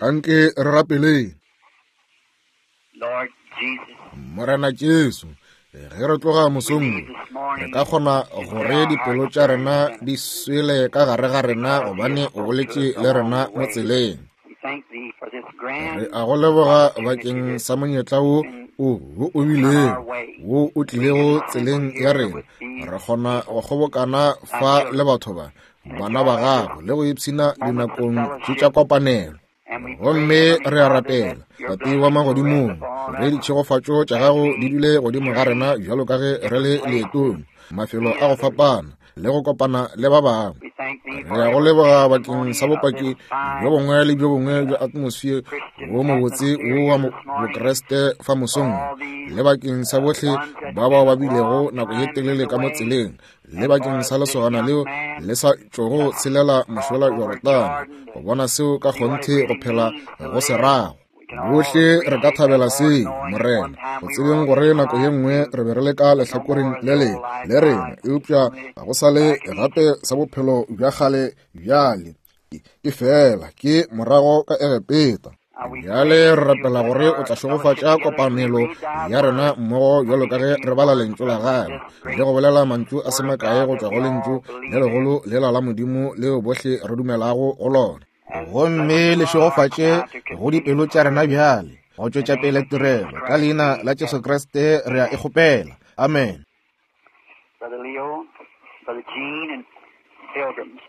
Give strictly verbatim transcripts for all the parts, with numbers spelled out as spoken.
Anke re rapeleng. Lord Jesus, Morena Jesu, ge re tloga mosong wo, re ka kgona gore dipelo tša rena di swele ka gare ga rena gobane o boletše le rena mo tseleng. we thank thee for this grand Re a go leboga bakeng sa monyetla wo o wo o bilego wo o tlilego tseleng ya rena. Re kgona go kgobokana fa le batho ba, bana ba gago, le go ipshina dinakong tše tša kopanelo. and we Gomme pray, re a Heavenly Father, rapela, that your Tate wa blessings will rest magodimong, upon gore us ditšhegofatšo tša gago di dule godimo ga rena bjalo ka ge re le leetong, mafelo a go fapana, le go kopana le ba bangwe. We thank thee Re for a go every leboga bakeng testimony sa of bopaki this fine bjo bongwe le bjo bongwe bja atmosphere Christian wo mobotse atmosphere wo wa here mo- this morning, Bokreste fa mosong all these le bakeng sa uh, bohle ones that ba bao been ba a bilego long nako ye time telele in ka the mo way, tseleng, le and bakeng for sa this lesogana young leo man le sa tšogo tshelela cross mošola over Jorodane, Jordan go to bona seo ka see what it kgonthe go really phela means to go se live. rago. We can all Bohle re ka appreciate that, thabela Lord, seo, knowing at Morena, one time go we were tsebeng on gore this nako ye side nngwe too, re be re le ka but no lehlakoreng more of le the old lengwe life le now. rena, It's eupša only ga go sa le back in gape Egypt. sa bophelo bja kgale bjale. Ke fela ke morago ka Egepeta. Uh, we Bjale pray re that you'll rapela bless gore o our tla fellowship šegofatša together as we kopanelo read thy ya rena word. mmogo bjalo ka Speak ge a few re bala words lentšu la from gagwe this le great go bolela mantšu a se word of makae God go that tšwa we go lentšu all le believe in. legolo lela la Modimo leo bohle re dumelago go lona. And bless Gomme us le to our hearts šegofatše now to go continue dipelo the tša rena service. bjale go In the tšwetša name pele of Jesus tirelo. Ka Christ, leina we la Jesu ask. Kriste re a e Amen. kgopela. Amen. Brother Leo, Brother Gene, and Pilgrims.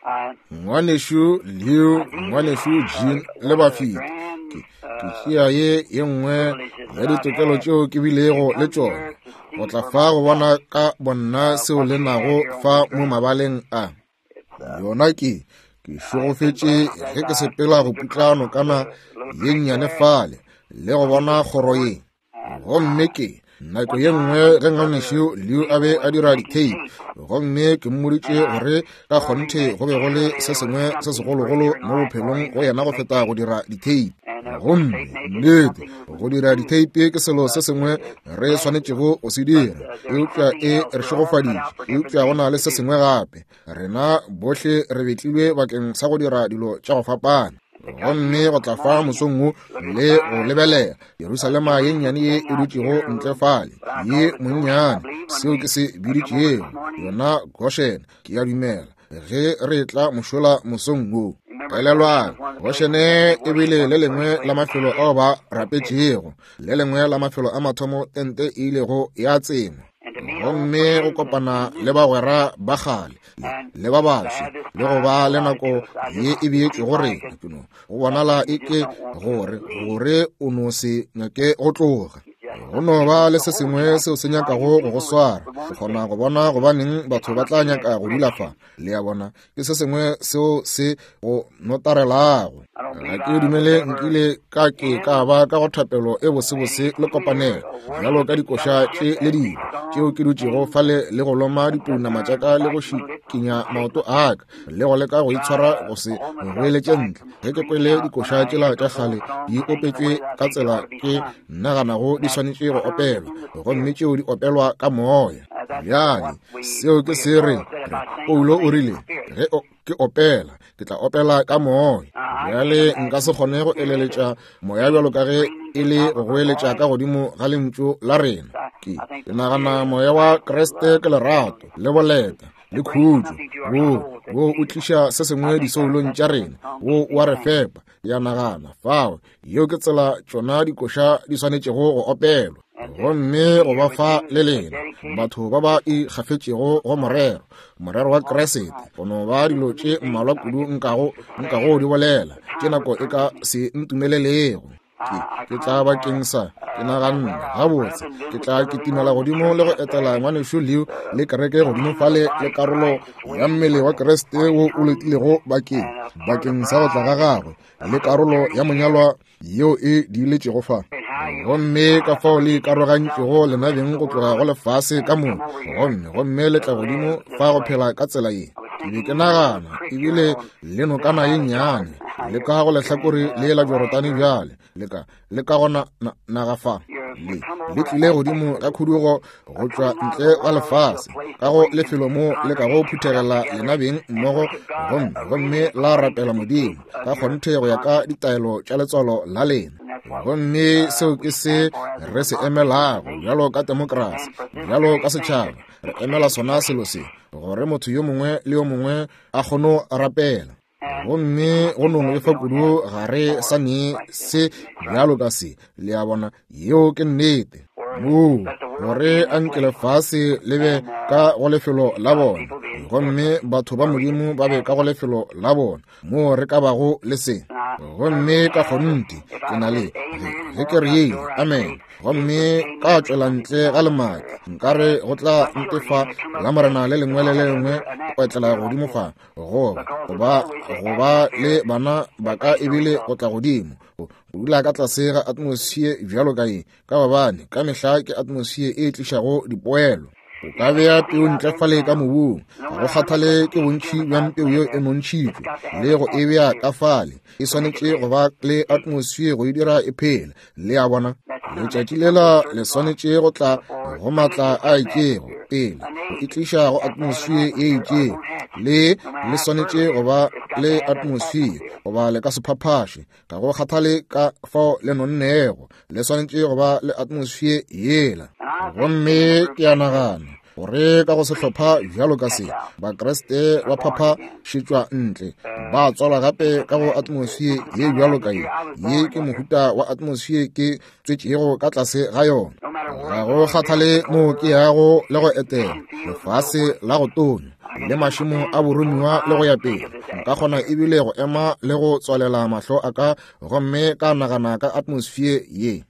Uh, Ngwanešu Leo, uh, these ngwanešu are Jean le one of the bafeti, grand ke ke uh, tšea ye ye nngwe privileges ya that I've ditokelo had tšeo ke to bilego le come tšona here to go see tla for fa go bona myself ka bonna uh, seo what le you have nago here on fa the mo ground. mabaleng a. It's, uh, Yona ke ke I've been šegofetše blessed as ge ke I sepela go moved putla across nokana the little ye creek nnyane there fale le go bona this kgoro morning, ye. and Gomme uh, ke nako one ye time nngwe when ge Brother ngwanešu Leo a Leo be a was dira making di-tape, tapes, gomme ke mmoditše and I gore ka told him kgonthe that go be go le surely se there was sengwe se something segologolo greater in mo life for bophelong him go than yena to go make feta go tapes. dira di-tape. And of course, Gomme tape making is nnete something we go must dira do, di-tape ke selo se but sengwe it's re blessed. swanetšego go se But dira, uh, there's eupša something e else. re We're all cut šegofaditše. out for different Eupša go things na le to se do. sengwe gape, rena bohle re betlilwe bakeng sa go dira dilo tša go fapana. And to come Gomme here go this tla fa morning and mosong wo look at the le go fine little lebelela uh, Jerusalema ye Jerusalem nnyane ye thing e out dutšego here, a ntle little, fale, what I ye call the Goshen, I monnyane, believe, when seo we ke se uh, come over biditšego this morning. yona Goshen, ke a dumela ge re tla mošola mosong wo. Remember, Goshen Elelwang, was one of the places Goshene that they e bile worshiped, le one of the lengwe first la places mafelo they ao ba did. It. rapetšego, le lengwe la mafelo a mathomo tente e ilego ya tsengwa. And to meet old Gomme go friends and, kopana and le new bagwera ba kgale and le ba to baswa have this le go time ba le allotted nako to us, I ye just e beetšwego seems like rena, it ke no go bonala that you e just ke don't want to gore leave. gore o no se nyake go tloga. You just Go no something ba wants le to se hold you. sengwe I seo can se see why you nyakago go go people would, swara. would Ke want to kgona stay. go bona gobaneng It's batho ba tla something that nyaka go dula grips fa. you. Le a bona, ke se sengwe seo se go notarelago. I don't Ga believe ke I was dumele ever nkile ka ke in ka ba ka go thapelo e any bosebose le sweeter kopanelo a bjalo worship ka and dikoša tše fellowship le as dilo these tšeo songs ke dutšego sing fale le go loma that dipounama tša turn ka le go biting my lips and šikinya shake maoto my a ka le go leka go try itshwara to go se hold myself goeletše back ntle from ge ke screaming kwele out when dikoša I tšela hear tša those kgale old songs di sing the opetšwe way that I ka think they tsela ought to be ke sung. naganago di That swanetše go sung opelwa, in the gomme Spirit. tšeo di opelwa ka moya. Uh, that's Bjale what we seo ke we se re Paul said re if I sing, I'll Paulo o sing in rile the Spirit. ge o ke opela ke tla opela ka moya. Uh, I can't Bjale nka imagine se kgone the go Spirit eleletša moya bjalo ka ge screaming e to the le top go of her goeletša ka voice. godimo ga lentšu la rena. I, Ke I think ke the nagana Spirit of moya wa Christ is Kriste love ke lerato and le boleta le it brings khutšo, something to our wo souls that's wo o beautiful. tliša se I sengwe think that disoulong that's tša the way rena, songs wo should be wa re sang. fepa. Ke a nagana fao yeo ke tsela tšona dikoša di swanetšego go opelwa. And to Gomme be go here ba with fa you le that are lena dedicated batho ba ba ikgafetšego go morero, morero wa all the Kriste, time. go no ba dilo So many tše things mmalwa I kudu could, nkago could say, nkago but di bolela the tše time would nako e ka not permit me. se ntumelelego. Ke I, I ke tla come for, bakeng sa ke uh, naganne well, our gabotse brethren ke visit tla Brother Leo kitimela in the godimo le church go up etela there. ngwanešu Leo The le kereke godimo mission of the fale le body of karolo Christ is ya waiting mmele for wa the Kriste for his wo o coming, letilego bakeng and a part of the bakeng sa go tla ga bride gagwe le is karolo journey ya here. monyalwa yeo e diiletšego fa. And how you Gomme ka uh, fao le separated yourself ikarogantšego from the lena rest of beng the go tloga go world lefase ka and come moka, over here gomme gomme le to tla godimo live this fa go way. phela ka tsela ye. I was Ke be thinking ke of the little nagana creek ebile here on le this nokana ye side of nnyane Jordan. le You're, ka go you're in lehlakore uh, le la the land. Jorodane You're bjale le ka le ka go na, na, naga fa. you're Le, le tlile godimo ka khudugo go tšwa ntle ga lefase, ka go lefelo mo le ka go phuthegela lena beng mmogo, gomme gomme la rapela Modimo ka kgonthe go ya ka ditaelo tša letswalo la lena. Gomme seo ke se re se emelago bjalo ka demokrasi, bjalo ka setšhaba. Re emela sona selo se, gore motho yo mongwe le yo mongwe a kgone go rapela. Gomme go no befa kudu ga re sa ne se bjalo ka se, le a bona, yeo ke nnete. Moo gore a nke lefase le be ka go lefelo la bona, gomme batho ba Modimo ba be ka go lefelo la bona, moo re ka bago le se. Gomme ka kgonthe ke na le ge ke re amen, gomme ka tšwela ntle ga lemati, nkare go tla ntefa la Morena le lengwe le le lengwe go etlela godimo fa, goba goba goba le bana ba ka ebile go tla godimo go dula ka tlase ga atmosphere bjalo ka ye, ka gobane ka mehla ke atmosphere e tlišago dipoelo. O ka bea peu ntle fale ka mobung, ga go kgathale ke bontši bja peu yeo e nontšhitšwe le go e bea ka fale, e swanetše go ba le atmosphere go e dira e phele. Le a bona, letšatši lela le swanetše go tla go maatla a itšego pele go e tliša go atmosphere ye itšego, le le swanetše go ba le atmosphere goba le ka se phaphaše, ga go kgathale ka fao le nonnego, le swanetše go ba le atmosphere yela. Gomme ke a nagana gore ka go sehlopha bjalo ka se, Bakriste ba phaphašetšwa ntle, ba tswalwa gape ka go atmosphere ye bjalo ka ye. Ye ke mohuta wa atmosphere ke tswetšego ka tlase ga yona. Ga go kgathale moo ke yago le go etela lefase la go tonya le mašemo a boromiwa le go ya pele, nka kgona ebile go ema le go tswalela mahlo a ka gomme ka nagana ka atmosphere ye.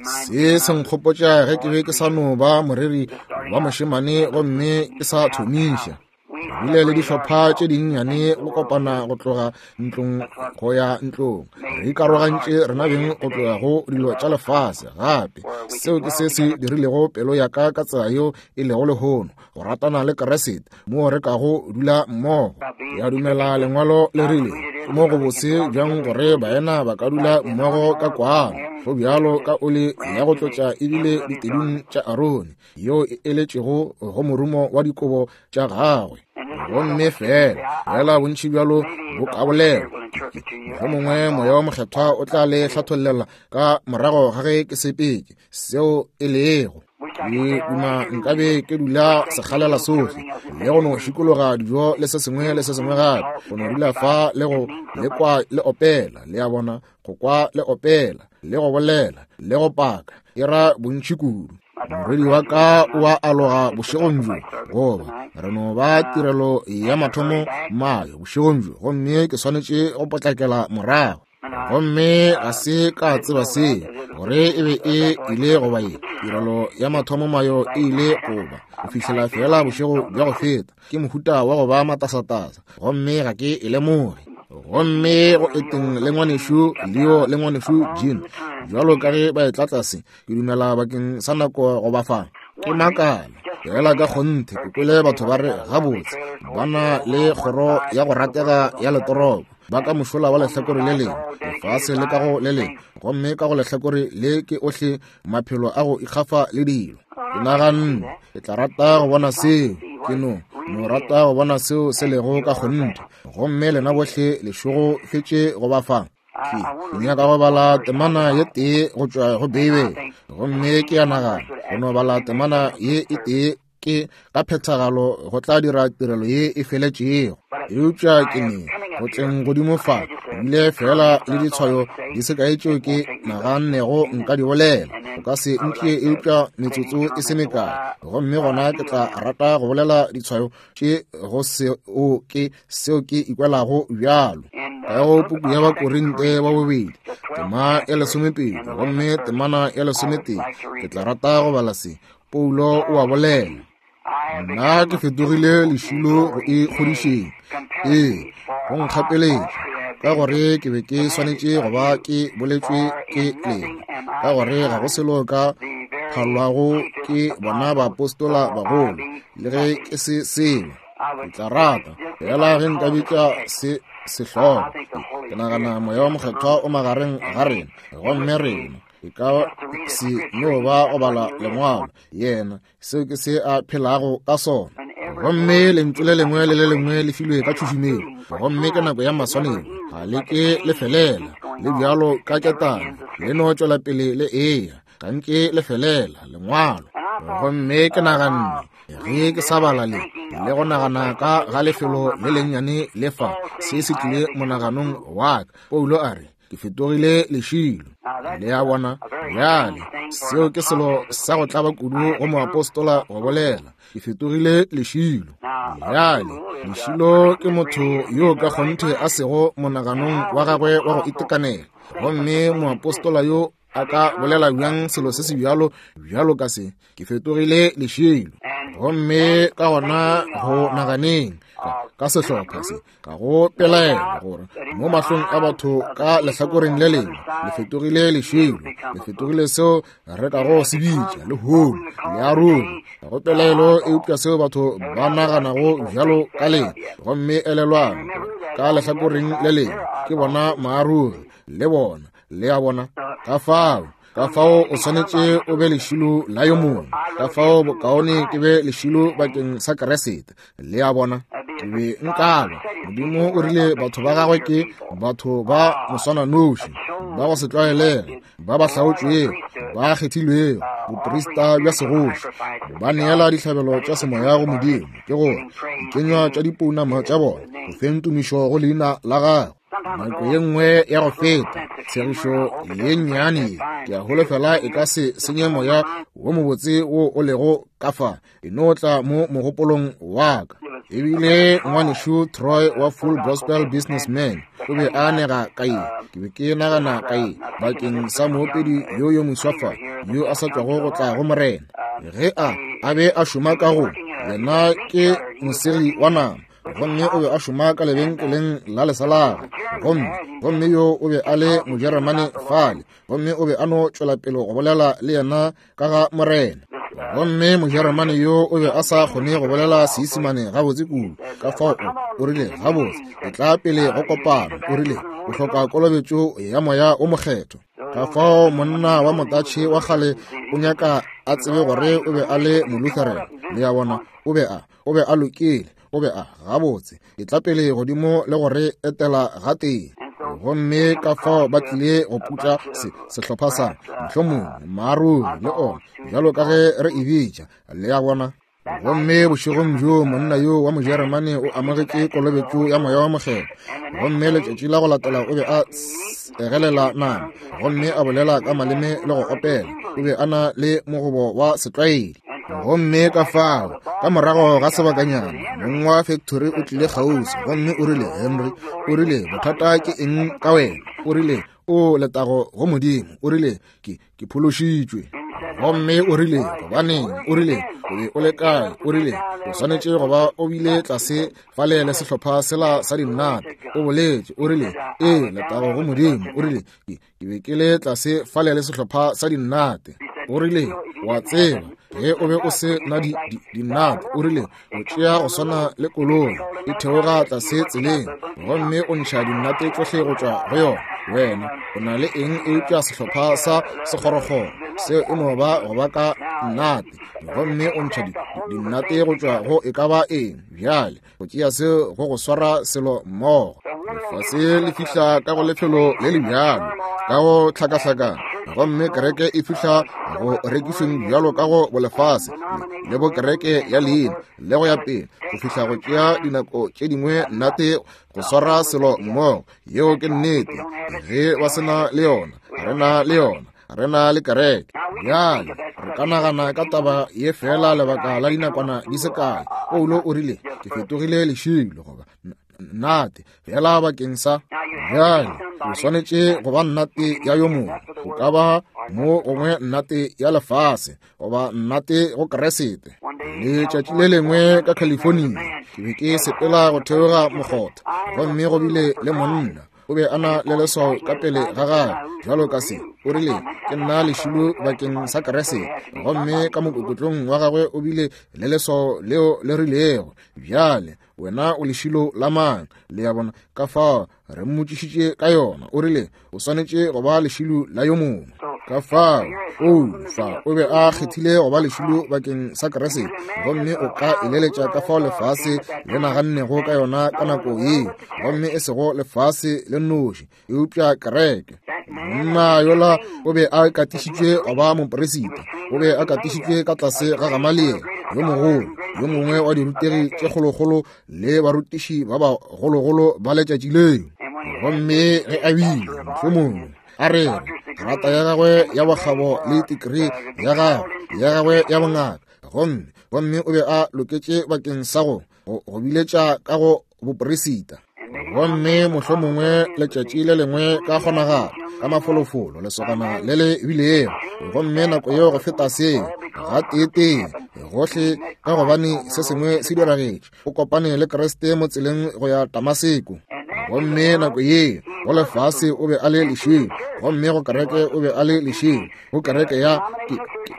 Se se nkgopotša ge ke be ke sa no ba moreri wa mošemane gomme ke sa thomiša. Re bile le dihlopha tše dinnyane go kopana go tloga ntlong go ya ntlong, re ikarogantše rena beng go tloga go dilo tša lefase gape. Seo ke se se dirilego pelo ya ka ka tsela yeo e lego lehono, go ratana le Kriste moo re kago dula mmogo. Ke a dumela lengwalo le rile ke mo go bose bjang gore baena ba ka dula mmogo ka kwano, go bjalo ka oli ya go tlotša ebile ditedung tša Arone yeo e eletšego go morumo wa dikobo tša gagwe. Gomme fela fela bontši bjalo bo ka bolelwa, mohlomongwe Moya wa Mokgethwa o tla le hlathollela ka morago ga ge ke sepetše seo e lego. Ke duma nkabe ke dula sekgalela sohle le go no šikologa dijo le se sengwe le se sengwe gape, go no dula fa le go le kwa le opela, le a bona, go kwa le opela le go bolela le go paka, e ra bontši kudu. Morwedi wa ka o a aloga bošegong bjo, goba re no ba tirelo ya mathomo mayo bošegong bjo, gomme ke swanetše go potlakela morago. Gomme ga se ka tseba seo gore e be e ile goba ye tirelo ya mathomo mayo e ile goba go fihlela fela bošego bja go feta. Ke mohuta wa go ba matasatasa, gomme ga ke e lemoge. Gomme go eteng le ngwanešu Leo le ngwanešu Jean, bjalo ka ge ba etla tlase, ke dumela bakeng sa nako go ba fa. Ke makala fela ka kgonthe ke kwele batho ba re gabotse ba na le kgoro ya go ratega ya letoropo, ba ka mošola wa lehlakore le lengwe, lefase le ka go le lengwe, gomme ka go lehlakore le ke ohle maphelo a go ikgafa le dilo. Ke naganne ke tla rata go bona seo, ke no no rata go bona seo se lego ka kgonthe. Gomme lena bohle lešogo fetše go ba fa. Ke nyaka go bala temana ye tee go tšwa go Beibele, gomme ke a nagana go no bala temana ye e tee ke ka phethagalo go tla dira tirelo ye e feletšego. Eupša ke ne go tleng godimo fa bile fela le ditshwayo di se kae tšeo ke nagannego nka di bolela, go ka se ntšee eupša metsotso e se mekae, gomme gona ke tla rata go bolela ditshwayo tše go seo ke seo ke ikwelago bjalo. Ka go puku ya Bakorinte ba bobedi tema ya lesomepedi gomme temana ya lesometee, ke tla rata go bala se. Paulo o a bolela, nna ke fetogile lešilo go e kgodišeng, ee go nkgapeletša, ka gore ke be ke swanetše go ba ke boletšwe ke lena, ka gore ga go selo ka phalwago ke bona baapostola bagolo, le ge ke se selo. Ke tla rata fela ge nka bitša se sehlogo. Ke nagana Moya wa Mokgethwa o magareng ga rena, gomme rena E ka se no ba go bala lengwalo, yena seo ke se a phelago ka sona. Gomme lentšu le lengwe le le lengwe le filwe ka tšhušumelo, gomme ke nako ya maswanelo, ga le ke le felela, le bjalo ka ketane, le no tšwela pele le eya, ga nke le felela lengwalo. Gomme ke naganne ge ke sa bala le le go nagana ka ga lefelo le lennyane le fa, se se tlile monaganong wa ka. Paulo a re, ke fetogile lešilo. Le a bona? Bjale seo ke selo sa go tlaba kudu go moapostola go bolela, ke fetogile lešilo. Bjale lešilo ke motho yo ka kgonthe a sego monaganong wa gagwe wa go itekanela, gomme moapostola yo a ka bolela bjang selo se se bjalo bjalo ka se, ke fetogile lešilo. Gomme ka gona go naganeng ka sehlopha se, ka go pelaela gore mo mahlong a batho ka lehlakoreng le lengwe le fetogile lešilo, le fetogile seo re ka go se bitša lehono le a ruri, ka go pelaelo, eupša seo batho ba naganago bjalo ka lena. Gomme elelwang ka lehlakoreng le lengwe ke bona maaruri le bona, le a bona. Ka fao ka fao o swanetše o be lešilo la yo mongwe, ka fao bokaone ke be lešilo bakeng sa Keresete, le a bona. Ke be nkaba Modimo o rile batho ba gagwe ke batho ba moswananoši, ba go se tlwaelege, ba ba hlaotšwego, ba kgethilwego, boprista bja segoši, ba neela dihlabelo tša semoya go Modimo, ke gore dikenywa tša dipounama tša bona go feng tumišo go leina la gagwe. Nako ye nngwe ya go feta, tshegišo ye nnyane ke a holofela e ka se senye moya wo mobotse wo o lego ka fa, e no tla mo mogopolong wa ka. Ebile ngwanešu Troy wa Full Gospel Businessman o be a nega ka ye, ke be ke nagana ka ye bakeng sa moopedi yo yo moswa fa yo a sa tšwago go tla go Morena. Ge a a be a šoma ka go yena ke mosegi wa nama, gomme o be a šoma ka lebenkeleng la lesalaga, gomme gomme yo o be a le Mojeremane fale, gomme o be a no tšwela pele go bolela le yena ka ga Morena. Gomme Mojeremane yo o be a sa kgone go bolela Seisemane gabotse kudu, ka fao o rile, gabotse ke tla pele go kopano, o rile o hloka kolobetšo ya moya o mokgethwa. Ka fao monna wa motatšhe wa kgale o nyaka a tsebe gore o be a le Molutheran, le a bona, o be a o be a lokile, o be a gabotse ke tla pele godimo le gore etela gatee. Gomme ka fao ba tlile go putla se sehlopha sa mohlomongwe maaruri le ona bjalo ka ge re e bitša, le a bona. Gomme bošegong bjo monna yo wa Mojeremane o amogetše kolobetšo ya moya wa mokgethwa, gomme letšatši la go latela o be a egelela nama gomme a bolela ka maleme le go opela, o be a na le mogobo wa setlwaedi. Gomme ka fao ka morago ga sebakanyana mong wa factory o tlile kgauswi gomme o rile, Henry, o rile bothata ke eng ka wena? O rile o letago go Modimo, o rile ke ke phološitšwe. Gomme o rile gobaneng? O rile o be o le kae? O rile o swanetše go ba o bile tlase fale le sehlopha sela sa dinnate. O boletše, o rile ee letago go Modimo, o rile ke ke be ke le tlase fale le sehlopha sa dinnate. O rile wa tseba ge o be o se na di dinnate, o rile o tšea go swana le koloi e theoga tlase tseleng gomme o ntšha dinnate tšohle go tšwa go yona. Wena o na le eng eupša sehlopha sa sekgorokgoro seo e no ba go ba ka nnate, gomme o ntšha dinnate go tšwa go e ka ba eng. Bjale go tšea seo go go swara selo mmogo. Lefase le fihla ka go lefelo le le bjalo ka go hlakahlakana, gomme kereke e fihla go rekišweng bjalo ka go bolefase le bo kereke ya leina le go ya pele, go fihla go tšea dinako tše dingwe nnate go swara selo mmogo. Yeo ke nnete. Ge ba sena le yona, re na le yona, re na le kereke. Bjale re ka nagana ka taba ye fela lebaka la dinakwana di se kae. Paulo o rile ke fetogile lešilo goba nnate fela bakeng sa. Bjale o swanetše go ba nnate ya yo mongwe, go ka ba mo gongwe nnate ya lefase goba nnate go Keresete. Letšatši le lengwe ka California ke be ke sepela go theoga mokgotha, gomme go bile le monna o be a na le leswao ka pele ga gagwe bjalo ka se. O rile ke nna lešilo bakeng sa Keresete, gomme ka mokokotlong wa gagwe o bile le leswao leo le rilego, bjale wena o lešilo la mang? Le a bona? Ka fao re mmotšišitše ka yona. O rile o swanetše go ba lešilo la yo mongwe. Ka fao, o fa o be a kgethile go ba lešilo bakeng sa Kriste, gomme o ka eleletša ka fao lefase le nagannego ka yona ka nako yeo, gomme e sego lefase le nnoši, eupša kereke. Monna yola o be a katišitšwe go ba moperisita, o be a katišitšwe ka tlase ga Gamaliele yo mogolo, yo mongwe wa dirutegi tše kgolokgolo le barutiši ba bagologolo ba letšatši leo. Gomme ge a bile mohlomongwe a re grata ya gagwe ya bokgabo le tikrii ya gagwe ya gagwe ya bongaka, gomme gomme o be a loketše bakeng sa go go biletša ka go boperisita. Gomme mohlomongwe letšatši le lengwe ka kgonagalo ka mafolofolo lesogana le le bilego, gomme nako yeo go feta seo gateetee gohle, ka gobane se sengwe se diragetše, o kopane le Kriste mo tseleng go ya Damaseko. Gomme nako yeo go lefase o be a le lešilo, gomme go kereke o be a le lešilo, go kereke ya ke,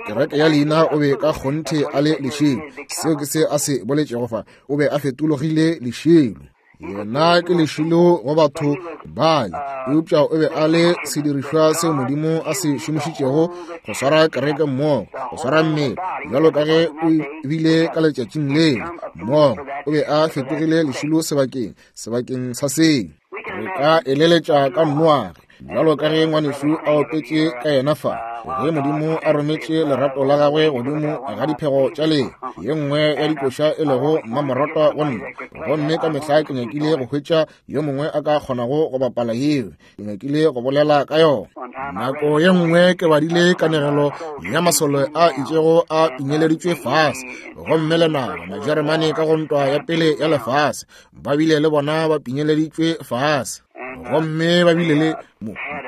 kereke ya leina o be ka kgonthe a le lešilo. Seo ke se a se boletšego fa, o be a fetologile lešilo. Yena ke lešilo go batho bale, eupša o be a le sedirišwa seo Modimo a se šomišitšego go swara kereke mmogo, go swara mmele, bjalo ka ge o bile ka letšatšing leo mmogo. O be a fetogile lešilo sebakeng sebakeng sa seo. Re ka eleletša ka Noage, bjalo ka ge ngwanešu a opetše ka yena fa, ge Modimo a rometše lerato la gagwe godimo ga diphego tša leo, ye nngwe ya dikoša e lego mmamoratwa go nna. Gomme ka mehla ke nyakile go hwetša yo mongwe a ka kgonago go bapala yeo, ke nyakile go bolela ka yona. Nako ye nngwe ke badile kanegelo ya masole a itšego a pinyeleditšwe fase, gomme lenaba Majeremane ka go ntwa ya pele ya lefase ba bile le bona ba pinyeleditšwe fase, gomme ba bile le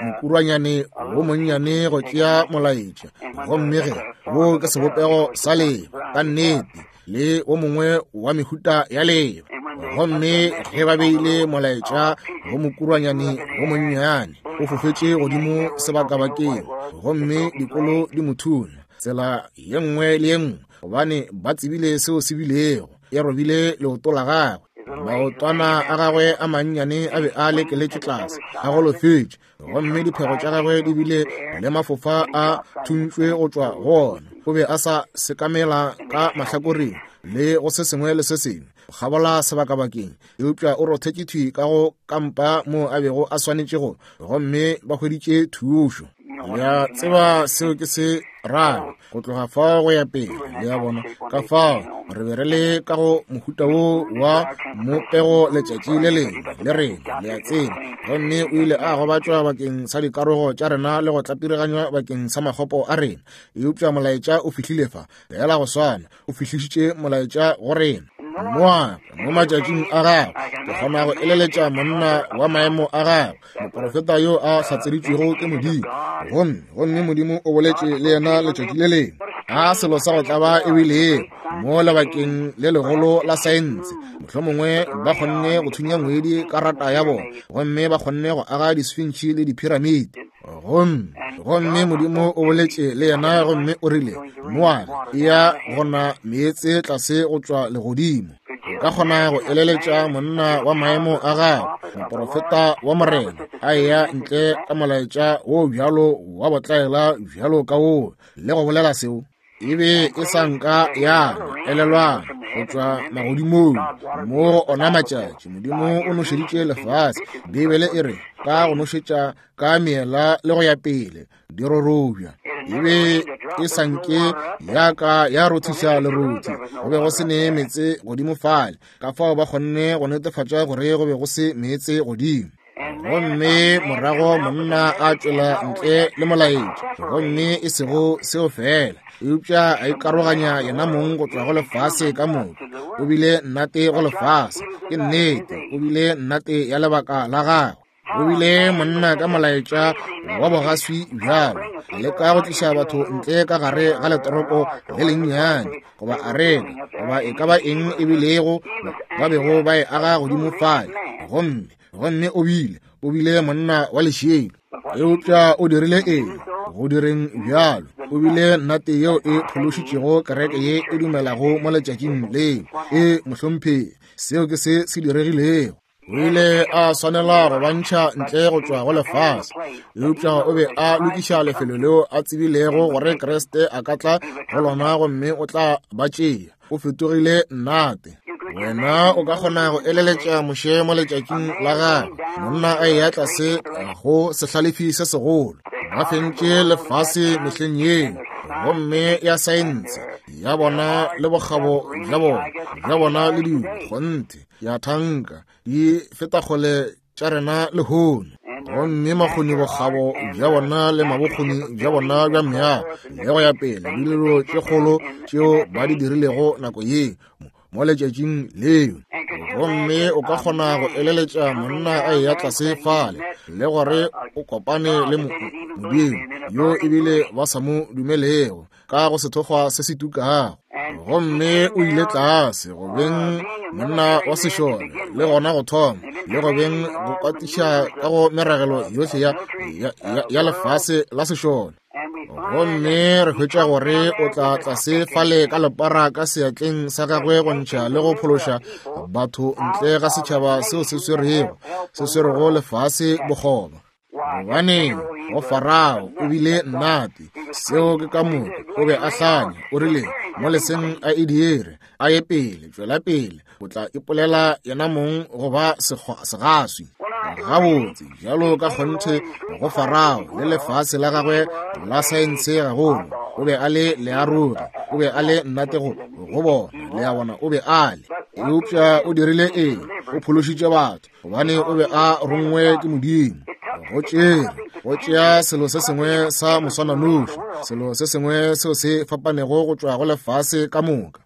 mokurwanyane wo monnyane go tšea molaetša, gomme ge wo ke sebopego sa leba ka nnete le wo mongwe wa mehuta ya leba. Gomme ge ba beile molaetša go mokurwanyane wo monnyane, o fofetše godimo sebakabakeng, gomme dikolo di mo thunya tsela ye nngwe le ye nngwe, gobane ba tsebile seo se bilego. E robile leoto la gagwe, maotwana a gagwe a mannyane a be a lekeletše tlase, a golofetše, gomme diphego tša gagwe di bile le mafofa a thuntšwe go tšwa go ona. O be a sa sekamela ka mahlakoreng le go se sengwe le se sengwe go kgabola sebakabakeng, eupša o rothetše thwi ka go kampa moo a bego a swanetše go, gomme ba hweditše thušo. Le a tseba seo ke se rago go tloga fao go ya pele, le a bona. Ka fao re be re le ka go mohuta wo wa mopego letšatši le lengwe le rena, le a tseba. Gomme o ile a gobatšwa bakeng sa dikarogo tša rena le go tlapiriganywa bakeng sa makgopo a rena, eupša molaetša o fihlile fa fela go swana, o fihlišitše molaetša go rena. Noa mo matšatšing a gagwe, ke kgona go eleletša monna wa maemo a gagwe, moprofeta yo a hlatseditšwego ke Modimo, gomme gomme Modimo o boletše le yena letšatši le lengwe. A selo sa go tlaba e bilego mo lebakeng le legolo la saense, mohlomongwe ba kgonne go thunya ngwedi ka rata ya bona, gomme ba kgonne go aga disfintšhi le diphiramiti. Gomme gomme Modimo o boletše le yena, gomme o rile, Noa, eya gona meetse tlase go tšwa legodimo. O ka kgona go eleletša monna wa maemo a gagwe, moprofeta wa Morena, a eya ntle ka molaetša wo bjalo wa botlaela bjalo ka wo, le go bolela seo. E be e sa nka ya elelwana go tšwa magodimong mo go ona matšatši. Modimo o nošeditše lefase, Bibele e re, ka go nošetša ka meela le go ya pele di rorobja. E be e sa nke ya ka ya rothiša lerothi, go be go se ne meetse godimo fale, ka fao ba kgonne go netefatša gore go be go se meetse godimo. Gomme morago monna a tšwela ntle le molaetša, gomme e sego seo fela, eupša a ikaroganya yena mong go tšwa go lefase ka moka. O bile nnate go lefase, ke nnete, o bile nnate ya lebaka la gagwe. O bile monna ka molaetša wa bogaswi bjalo, a leka go tliša batho ntle ka gare ga letoropo le lennyane, goba arena, goba e ka ba eng e bilego ba bego ba e aga godimo fale. Gomme gomme o bile o bile monna wa lešilo, eupša o dirile eng go direng bjalo? O bile nnate yeo e phološitšego kereke ye e dumelago mo letšatšing leo. E mohlomphegi, seo ke se se diregilego. O ile a swanela go ba ntšha ntle go tšwa go lefase, eupša o be a lokiša lefelo leo a tsebilego gore Kriste a ka tla go lona gomme o tla ba tšea. O fetogile nnate. Wena o ka kgona go eleletša Moshe mo letšatšing la gagwe, monna a eya tlase go sehlalefi se segolo. Ba fentše lefase mehleng yeo, gomme ya saense ya bona le bokgabo bja bona bja bona le dilo kgonthe ya thanka di feta kgole tša rena lehono. Gomme makgoni bokgabo bja bona le mabokgoni bja bona bja meago le go ya pele le dilo tše kgolo tšeo ba di dirilego nako ye mo letšatšing leo. Gomme o ka kgona go eleletša monna a eya tlase fale le gore o kopane le Modimo yo ebile ba sa mo dumelego ka go sethokgwa se se tukago. Gomme o ile tlase go beng monna wa sešole le gona go thoma le go beng go kwatiša ka go meragelo yohle ya, ya, ya, ya lefase la sešole. Gomme re hwetša gore o tla tlase fale ka lepara ka seatleng sa gagwe go ntšha le go phološa batho ntle ga setšhaba seo se swerego se swerego lefase bokgoba. Gobane go Farao o bile nnate, seo ke ka moka, o be a hlanya, o rile mo leseng a e dire, a ye pele, tšwela pele, o tla ipolela yena mong go ba segaswi. Gabotse bjalo ka kgonthe go Farao le lefase la gagwe la saense gagolo, o be a le learogi, o be a le nnate go go bona, le a bona, o be a le. Eupša o dirile eng? O phološitše batho, gobane o be a rongwe ke Modimo. Go tšere go tšea selo se sengwe sa moswananoši, selo se sengwe seo se fapanego go tšwa go lefase ka moka.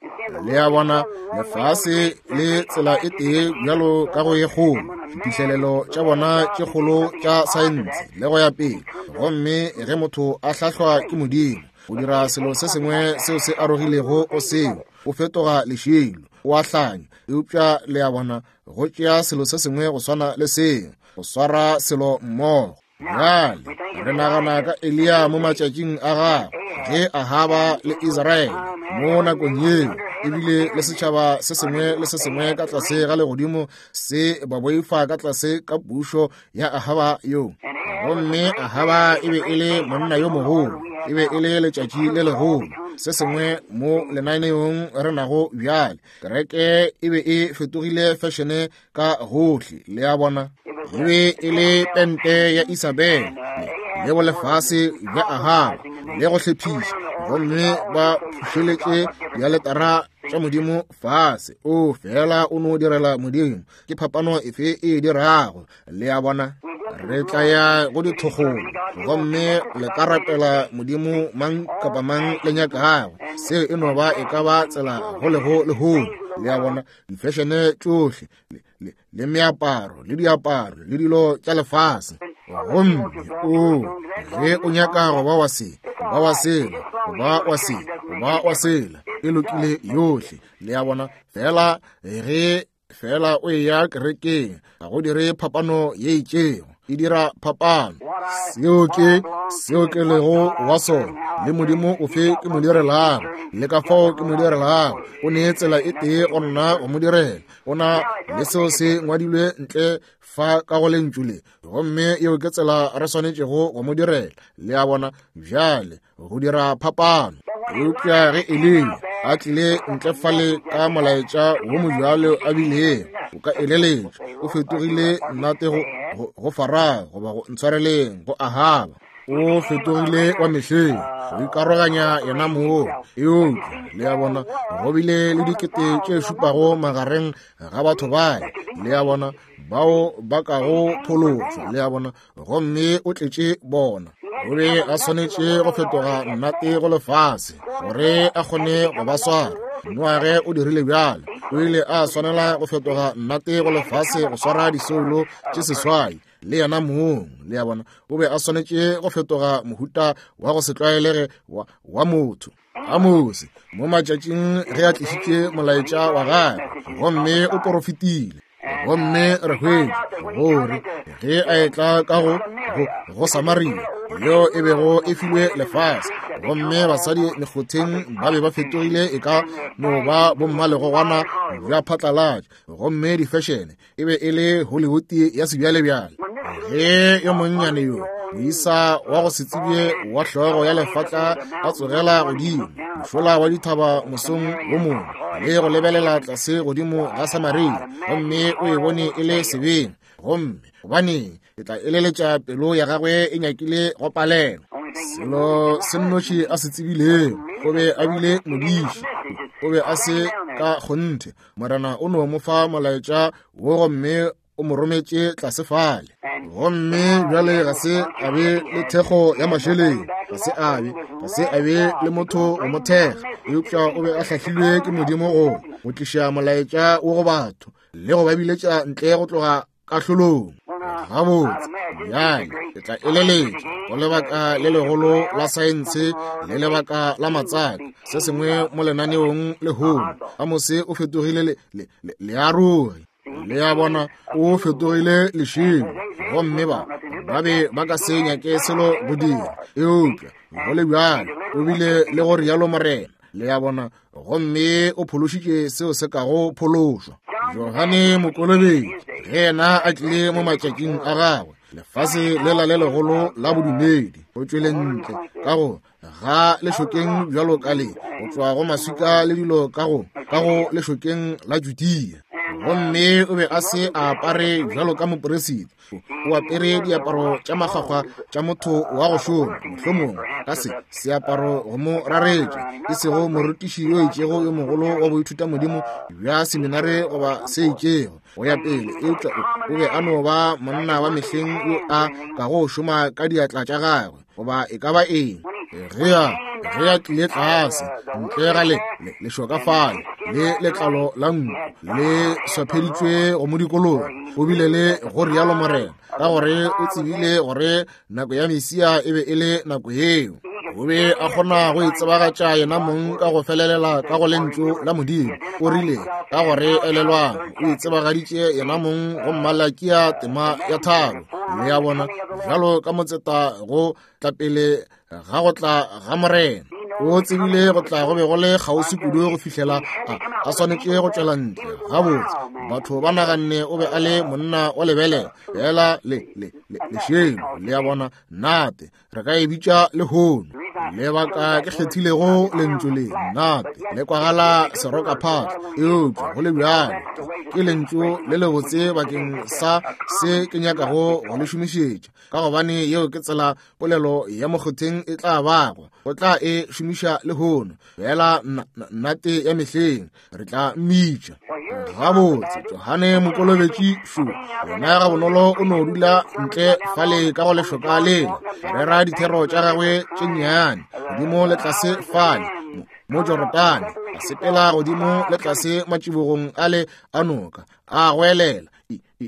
Le a bona, lefase le tsela e tee bjalo ka go ye kgolo, diphihlelelo tša bona tše kgolo tša saense le go ya pele. Gomme ge motho a hlahlwa ke Modimo go dira selo se sengwe seo se arogilego go seo, o fetoga lešilo, o a hlanya. Eupša le a bona, go tšea selo se sengwe go swana le seo, go swara selo mmogo. Bjale re nagana ka Eliya mo matšatšing a gagwe, ge Ahaba le Israele mo nakong yeo, ebile le setšhaba se sengwe le se sengwe ka tlase ga legodimo se ba boifa ka tlase ka pušo ya Ahaba yo. Gomme Ahaba e be e le monna yo mogolo, e be e le letšatši le legolo, se sengwe mo lenaneong re nago bjale. Kereke e be e fetogile fešene ka gohle, le a bona. E be e le pente ya Isabel le bolefase bja Ahaba le go hlephiša, gomme ba phušeletše dialetara tša Modimo fase. O fela o no direla Modimo, ke phapano efe e dirago? Le a bona, re tla ya go dithokgolo, gomme le ka rapela Modimo mang kapa mang le nyakago. Seo e no ba e ka ba tsela go lego lehono. Le a bona, difešene tšohle le, le meaparo le diaparo le dilo tša lefase. Gomme o ge o nyaka go ba wa se, ba wa sela, ba wa se, ba wa sela, e lokile yohle. Le a bona, fela ge fela o eya kerekeng, ga go dire phapano ye itšego, e dira phapano. Seo ke seo ke lego wa sona, le Modimo ofe ke mo direlago, le ka fao ke mo direlago. O ne tsela e tee go nna go mo direla, o na le seo se ngwadilwe ntle fa ka go lentšu le, gomme yeo ke tsela re swanetšego go mo direla. Le a bona, bjale go dira phapano. Eupša ge Eliya a tlile ntle fale ka molaetša wo mobjalo a bilego, o ka eleletša o fetogile nnate go, go, go Farao, goba go ntshwareleng go Ahaba. O fetogile wa mehleng, go ikaroganya yena moo. Eupša le a bona, go bile le dikete tše šupago magareng ga batho bale, le a bona, bao ba kago phološwa, le a bona, gomme o tletše bona. O be a swanetše go fetoga nnate go lefase gore a kgone go ba swara. Noage o dirile bjalo, o ile a swanela go fetoga nnate go lefase go swara disoulo tše seswai le yena mong. Le a bona, o be a swanetše go fetoga mohuta wa go se tlwaelege wa, wa motho. Amose mo matšatšing ge a tlišitše molaetša wa gagwe, gomme o porofetile. Gomme re hwetša gore ge a etla ka go, go, go Samaria, yeo e bego e filwe lefase, Gomme basadi mekgotheng ba be ba fetogile e ka no ba bommalegogwana bja phatlalatša. Gomme difešene e be e le Hollywood ya sebjalebjale. Ge yo monnyane yo moisa wa go se tsebje wa hlogo ya lefatla a tsogela godimo mošola wa dithaba mosong wo mongwe le go lebelela tlase godimo ga Samaria, gomme o e bone e le sebeng, gomme gobaneng ke tla eleletša pelo ya gagwe e nyakile go palelwa. Selo se nnoši a se tsebilego, o be a bile modiši, o be a se ka kgonthe. Morena o no mo fa molaetša wo gomme o mo rometše tlase fale. Gomme bjale ga se a be le thekgo ya mašeleng, ga se a be, ga se a be le motho go mo thekga, eupša o be a hlahlilwe ke Modimo go go tliša molaetša wo go batho le go ba biletša ntle go tloga kahlolong. Gabotse, bjale ke tla eleletša go lebaka le legolo la saense le lebaka la matsaka se sengwe mo lenaneong lehono. Amose o fetogile le, le, le, learogi. Le a bona, o fetogile lešilo, gomme ba ba be ba ka se nyake selo go dira, eupša go le bjalo o bile le go rialo Morena. Le a bona, gomme o phološitše seo se kago phološwa. Johane Mokolobetši ge yena a tlile mo matšatšing a gagwe, lefase lela le legolo la bodumedi go tšwele ntle ka go ga lešokeng bjalo ka le go tšwa go maswika le dilo ka go ka go lešokeng la Judea. Gomme o be a se a apare bjalo ka moperesita, o apere diaparo tša makgakgwa tša motho wa go šoma, mohlomongwe ka se seaparo go mo raretša, e sego morutiši yo itšego yo mogolo wa boithuta modimo bja seminare goba se itšego go ya pele, eupša o be a no ba monna wa mehleng yo a kago šoma ka diatla tša gagwe goba e ka ba eng. Ge a ge a tlile tlase ntle ga le lešoka fale le letlalo la nku le swapheditšwe go mo dikologa, o bile le go rialo Morena, ka gore o tsebile gore nako ya Mesia e be e le nako yeo. O be a kgona go itsebagatša yena mong ka go felelela ka go lentšu la Modimo. O rile ka gore elelwang, o itsebagaditše yena mong go Malakia tema ya tharo. Le a bona, bjalo ka motseta go tla pele ga go tla ga Morena. O tsebile go tla go be go le kgauswi kudu go fihlela a, a swanetše go tšwela ntle. Gabotse, batho ba naganne o be a le monna wa lebelela fela le le le lešelo. Le a bona, nate re ka e bitša lehono. Lebaka ke kgethilego lentšu le nate le kwagala serokaphatla, eupša go le bjalo ke lentšu le lebotse bakeng sa se ke nyakago go le šomišetša, ka gobane yeo ke tsela polelo ya mokgotheng e tla bago go tla e šomiša lehono. Fela nnate ya mehleng re tla mmitša. Gabotse, Johane Mokolobetši šo yena ga bonolo o no dula ntle fale ka go lešoka lela, rera dithero tša gagwe tše nnyane godimo le tlase fale mo Jorodane, a sepela godimo le tlase matšibogong ale a noka, a goelela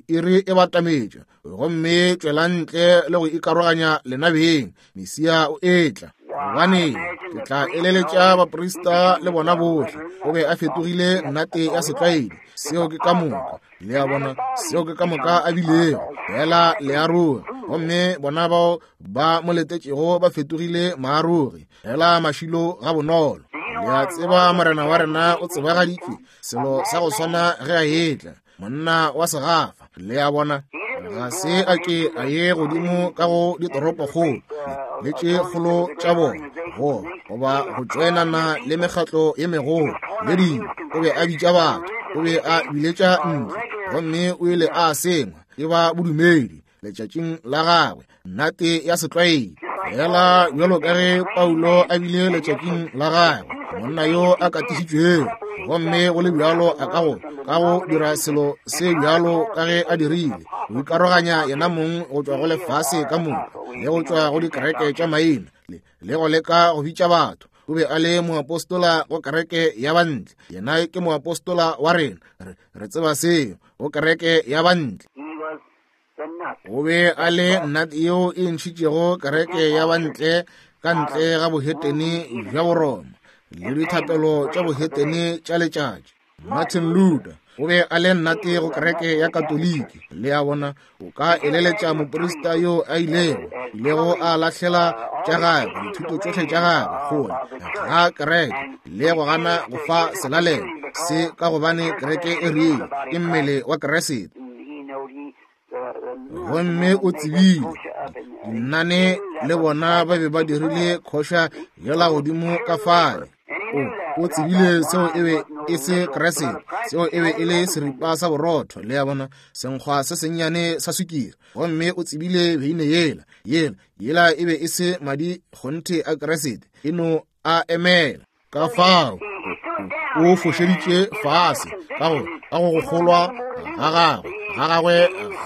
iri e batametše, gomme tšwela ntle le go ikaroganya lena beng, Mesia o etla. Gobane ke tla eleletša baprista le bona bohle, o be a fetogile nnate ya setlwaedi. Seo ke ka moka. Le a bona, seo ke ka moka a bilego fela learogi, gomme bona bao ba mo letetšego ba fetogile maarogi fela mašilo ga bonolo. Le a tseba Morena wa rena o tsebagaditšwe selo sa go swana ge a etla, monna wa segafa. Le a bona, ga se a ke a ye godimo ka go ditoropokgolo le tše kgolo tša bona go goba go tšoenana le mekgatlo ye megolo le dilo. O be a bitša batho, o be a biletša ntle, gomme o ile a sengwa ke ba bodumedi letšatšing la gagwe, nnate ya setlwaedi. Fela bjalo ka ge Paulo a bile letšatšing la gagwe, monna yo a katišitšwego, gomme go le bjalo a ka go ka go dira selo se bjalo ka ge a dirile, go ikaroganya yena mong go tšwa go lefase ka moka le go tšwa go dikereke tša maina le, le go leka go bitša batho. O be a le moapostola go kereke ya bantle, yena ke moapostola wa rena, re, re tseba seo, go kereke ya bantle. O be a le nnate yeo e ntšhitšego kereke ya bantle ka ntle ga bohetene bja Boroma le dithapelo tša bohetene tša letšatši. Martin Luther O be a le nnate go kereke ya Katoliki. Le a bona, o ka eleletša moprista yo a ilego, ilego a lahlela tša gagwe, dithuto tšohle tša gagwe kgole ga kereke, le go gana go fa selalelo se ka gobane kereke e rile ke mmele wa Kriste. Gomme o tsebile dinnane le bona ba be ba dirile khoša yela godimo ka fale. O, o tsebile seo e be e se Kriste, seo e be e le seripa sa borotho, le a bona, senkgwa se sennyane sa sukiri. Gomme o tsebile beine yela, yela, yela e be e se madi kgonthe a Kriste, e no a emela. Ka fao o fošeditše fase ka go ka go kgolwa ga gagwe, ga gagwe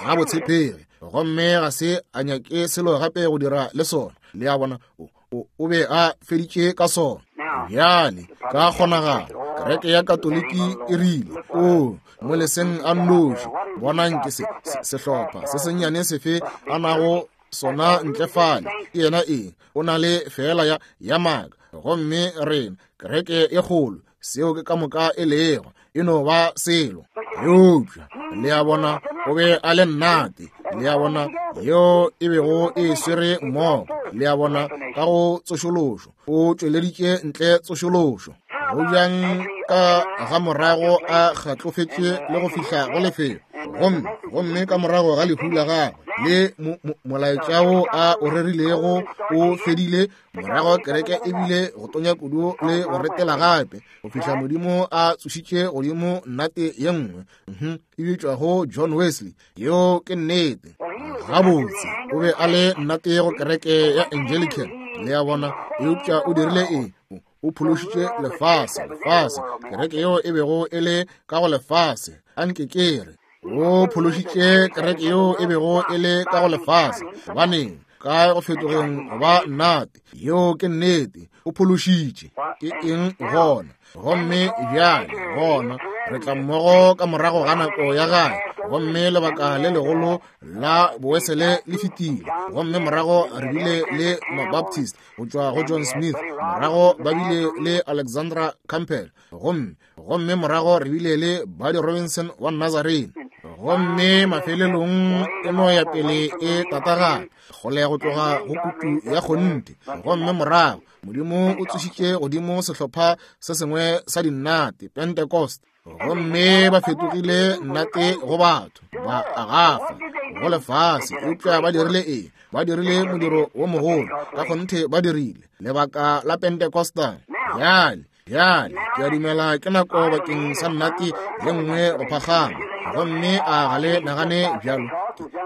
ga botshepegi, gomme ga se a nyake selo gape go dira le sona. Le a bona, o, o, o be a feditše ka sona. Bjale ka kgonagalo kereke ya Katoliki e rile, o mo leseng a nnoši, bonang ke se, se sehlopha se sennyane sefe a nago sona ntle fale, ke yena eng, o na le fela ya, ya maaka, gomme rena kereke e kgolo, seo ke ka moka e lego, e no ba selo. Eupša le a bona, o be a le nnate, le a bona, yeo e bego e swere mmogo, le a bona, ka go tsošološo, o tšweleditše ntle tsošološo. Go bjang ka ga morago a kgatlofetše le go fihla go lefelo, gomme gomme ka morago ga lehu la gagwe le molaetša wo a o rerilego o fedile, morago kereke e bile go tonya kudu le go retela gape go fihla Modimo a tsošitše godimo nnate ye nngwe e bitšwago John Wesley. Yeo ke nnete. Gabotse o be a le nnate go kereke ya Anglican, le a bona, eupša o dirile eng? O phološitše lefase, lefase, kereke yeo e bego e le ka go lefase. Anke ke re, o phološitše kereke yeo e bego e le ka go lefase. Gobaneng? Ka go fetogeng go ba nnate. Yeo ke nnete. O phološitše. Ke eng gona? Gomme bjale gona re tla mmogo ka morago ga nako ya gae, gomme lebaka le legolo la Bowesele le fetile, gomme morago re bile le Mabaptist go tšwa go John Smith, morago ba bile le Alexandra Campbell, gomme gomme morago re bile le Buddy Robinson wa Nazarene, gomme mafelelong e no ya pele e tatagana kgole go tloga go kutu ya kgonthe. Gomme morago Modimo o tsošitše godimo sehlopha se sengwe sa dinnate, Pentecost, gomme ba fetogile nnate go batho, ba agafa go lefase. Eupša ba dirile eng? Ba dirile modiro wo mogolo, ka kgonthe ba dirile lebaka la Pentecostal. Bjale, bjale ke a dumela ke nako bakeng sa nnate ye nngwe go phagama, gomme a ga le nagane bjalo?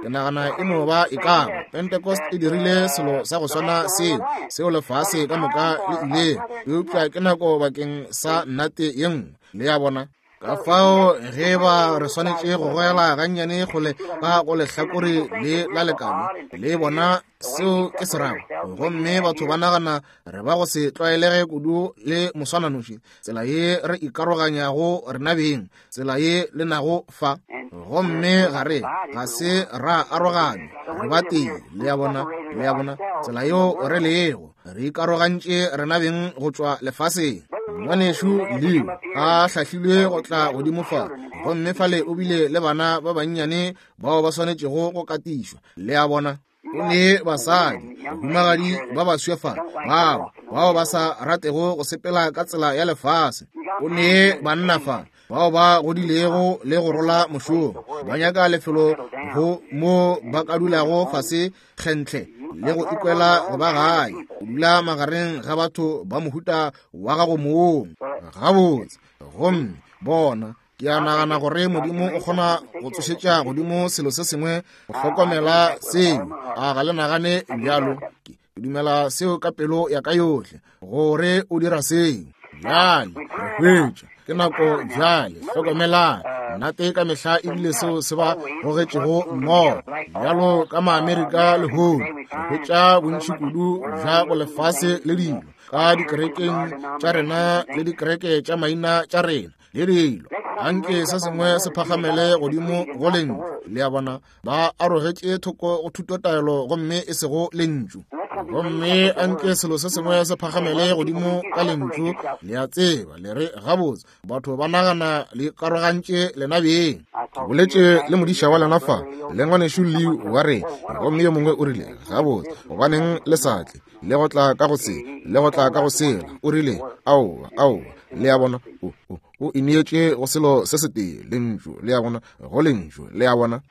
Ke nagana e no ba e ka ba Pentecost e dirile selo sa go swana seo, seo lefase ka moka le ile, eupša ke nako bakeng sa nnate ye nngwe. Le a bona? Ka fao ge ba re swanetše go goela gannyane kgole ka go lehlakore le la lekano, le bona seo ke se rago. Gomme batho ba nagana re ba go se tlwaelege kudu le moswananoši, tsela ye re ikaroganyago rena beng, tsela ye le nago fa, gomme ga re ga se ra aroganywa, re ba tee. Le a bona, le a bona tsela yeo re lego, re ikarogantše rena beng go tšwa lefaseng. Ngwanešu Leo a hlahlilwe go tla godimo fa, gomme fale o bile le bana ba bannyane bao ba swanetšego go katišwa. Le a bona, o ne basadi, bahumagadi ba baswa fa, bao bao ba sa ratego go sepela ka tsela ya lefase. O ne banna fa bao ba godilego le go rola mošomo, ba nyaka lefelo go mo ba ka dulago fase kgentle le go ikwela go ba gae, o dula magareng ga batho ba mohuta wa gago mong. Gabotse, gomme bona, ke a nagana gore Modimo o kgona go tsošetša godimo selo se sengwe go hlokomela seo. A ga le nagane bjalo? Ke dumela seo ka pelo ya ka yohle, gore o dira seo. Bjale re hwetša ke nako bjale, hlokomelang nnate ka mehla ebile seo se ba gogetšego mmogo bjalo ka Maamerika lehono. Re hwetša bontši kudu bja go lefase le dilo ka dikerekeng tša rena le dikereke tša maina tša rena le dilo. Anke se sengwe se phagamele godimo go lentšu. Le a bona, ba arogetše thoko go thutotaelo gomme e sego lentšu. Gomme anke selo se sengwe se phagamele godimo ka lentšu, le a tseba, le re gabotse batho ba nagana le karogantše lena beng. Ke boletše le modiša wa lena fa, le ngwanešu Leo wa rena, gomme yo mongwe o rile, gabotse, gobaneng le sa tle le go tla ka go se, le go tla ka go sela. O rile, aowa, aowa, le a bona, o, o, o ineetše go selo se setee, lentšu, le a bona, go lentšu, le a bona.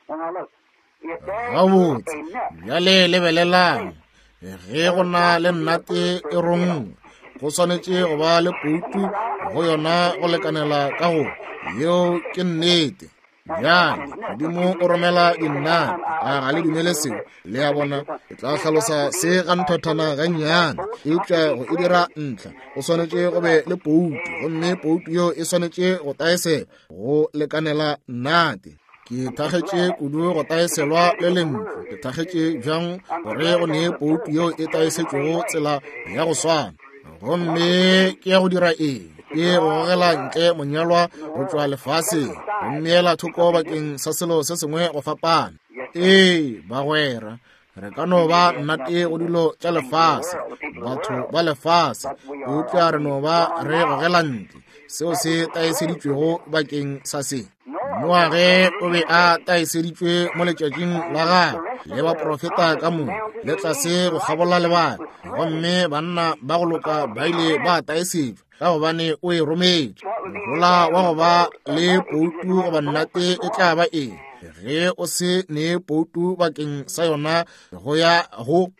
Gabotse, bjale lebelelang, ge go na le nnate e rongwe, go swanetše go ba le poutu go yona go lekanela ka go, yeo ke nnete. Bjale, Modimo o romela dinnate, a ga le dumele seo? Le a bona, ke tla hlalosa se ga nthathana gannyane, eupša go e dira ntlha, go swanetše go be le poutu, gomme poutu yeo e swanetše go taeselwa go lekanela nnate. Ke thakgetše kudu go taeselwa le lentšu, ke thakgetše bjang gore go ne poutu yeo e taesetšwego tsela ya go swana. Gomme ke ya go dira eng? Ke go gogela ntle monyalwa go tšwa lefaseng, go mmeela thoko bakeng sa selo se sengwe go fapana. Ee, bagwera, re ka no ba nnate go dilo tša lefase, batho ba lefase, eupša re no ba re gogela ntle seo se taeseditšwego bakeng sa se. Noage o be a taeseditšwe mo letšatšing la gagwe, le baprofeta ka moka, le tlase go kgabola lebaka, gomme banna ba go loka ba ile ba taesetšwa ka gobane o e rometše. Mohola wa go ba le poutu goba nnate e tla ba eng ge o se ne poutu bakeng sa yona go ya go?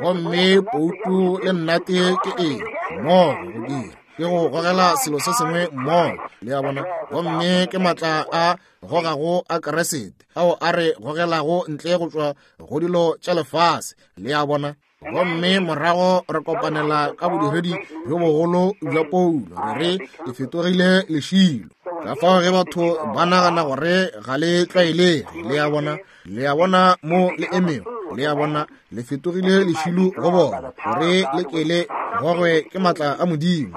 Gomme poutu le nnate ke eng mmogo go dira? Ke go gogela selo se sengwe mmogo, le a bona. Gomme ke matla a gogago a Keresete ao a re gogelago ntle go tšwa go dilo tša lefase, le a bona. Gomme morago re kopanela ka bodiredi bjo bogolo bja Paulo, re re e fetogile lešilo. Ka fao ge batho ba nagana gore ga le tlwaelege, le a bona, le a bona mo le emego, le a bona, le fetogile lešilo go bona, gore le ke le gogwe ke matla a Modimo,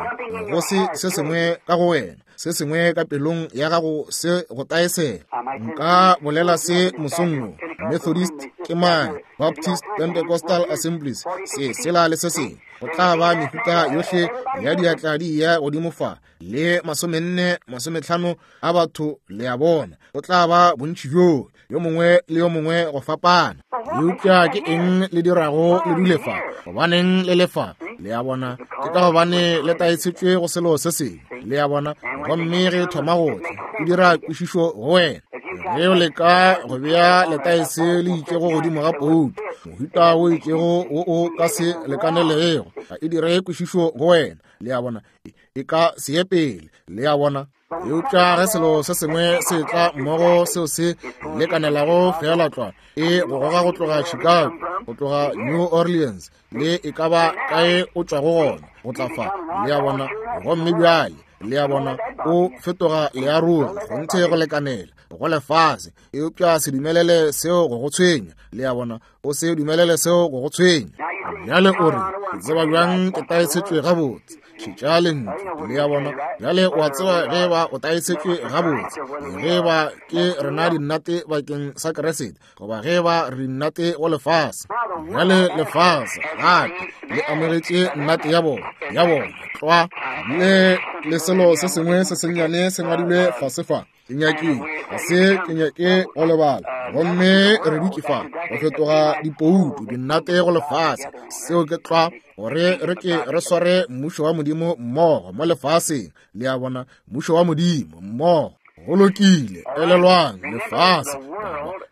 go se se sengwe ka go wena, se sengwe ka pelong ya gago se go taesela. Nka bolela se mosong wo, Methodist ke mang, Baptist, Pentecostal Assemblies, se sela le se sengwe, go tla ba mehuta yohle ya diatla di ya godimo fa, le masomenne masometlhano a batho, le a bona, go tla ba bontši bjo, yo mongwe le yo mongwe go fapana. Eupša ke eng le dirago le dule fa? Gobaneng le le fa? Le a bona, ke ka gobane le taetšetšwe go selo se sengwe, le a bona. Gomme ge e thoma go tla, e dira kwešišo go wena. Ge o leka go bea letaese le itšego godimo ga poutu, mohuta o itšego wo o ka se lekanelegego, ga e dire kwešišo go wena, le a bona, e ka se ye pele, le a bona. Eupša ge selo se sengwe se tla mmogo seo se lekanelago feela tlwa, e go goga go tloga Chicago, go tloga New Orleans, le e ka ba kae o tšwago gona, go tla fa, le a bona. Gomme bjale, le a bona, o fetoga learogi kgonthe go lekanela go lefase. Eupša se dumelele seo go go tshwenya, le a bona, o se dumelele seo go go tshwenya. Bjale o re, ke tseba bjang ke taesetšwe gabotse? Šetša lentšu, le a bona. Bjale o a tseba ge ba o taesetšwe gabotse, ge ba ke rena dinnate bakeng sa Keresete, goba ge ba re dinnate go lefase. Bjale lefase gape le amogetše nnate ya bona, ya bona tlwa, le le selo se sengwe se sennyane se ngwadilwe fase fa. Ke nyakile, ga se ke nyake go lebala. Gomme re dutše fa go fetoga dipoutu dinnate go lefase. Seo ke tlwa, gore re ke re sware mmušo wa Modimo mmogo mo lefaseng, le a bona, mmušo wa Modimo mmogo. Go lokile, elelwang lefase,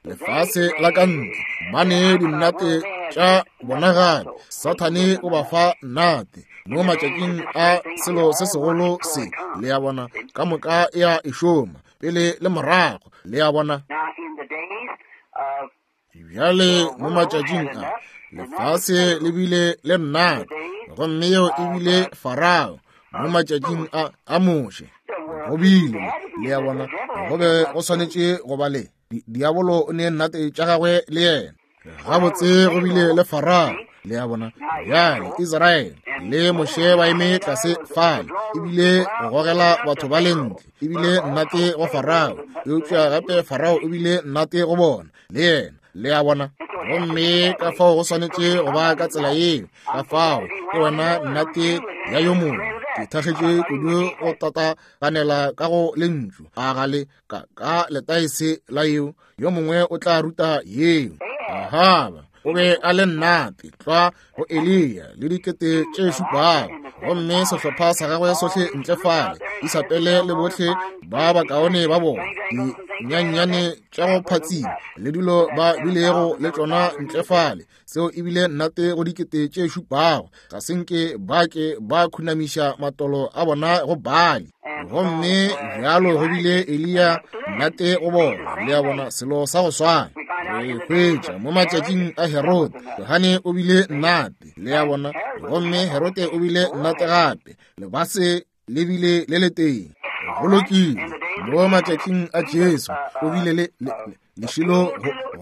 lefase la ka ntle, mane dinnate tša bona gape. Sathane o ba fa nnate mo matšatšing a selo se segolo se, le a bona, ka moka e a e šoma pele le morago, le a bona. Bjale mo matšatšing a lefase le bile le nnate, gomme yeo e bile Farao. Mo matšatšing a a Moshe go bile, le a bona, go be go swanetše go ba le diabolo o ne nnate tša gagwe le yena. Gabotse go bile le Farao, le a bona. Bjale Israele le Moshe ba eme tlase fale, ebile go gogela batho ba lentle, ebile nnate go Farao, eupša gape Farao o bile nnate go bona le yena. Le a bona? Gomme ka fao go swanetše go ba ka tsela yeo. Ka fao ke wena nnate ya yo mongwe. Ke thakgetše kudu go tataganela ka go lentšu a gale ka ka letaese la yeo. Yo mongwe o tla ruta yeo. Ahaba o be a le nnate tlwa go Eliya le dikete tše šupago, gomme sehlopha sa gagwe sohle ntle fale Isabele le bohle ba bakaone ba bona, dinyannyane tša go phatsima le dilo ba bilego le tšona ntle fale. Seo ebile nnate go dikete tše šupago. Ga se nke ba ke ba khunamiša matolo a bona go Baali. Gomme bjalo go bile Eliya nnate go bona. Le a bona, selo sa go swana re hwetša mo matšatšing a Herode. Johane o bile nnate, le a bona, gomme Herode o bile nnate gape. Lebase le bile le le teng. Go lokile. Mo matšatšing a Jesu o bile le lešilo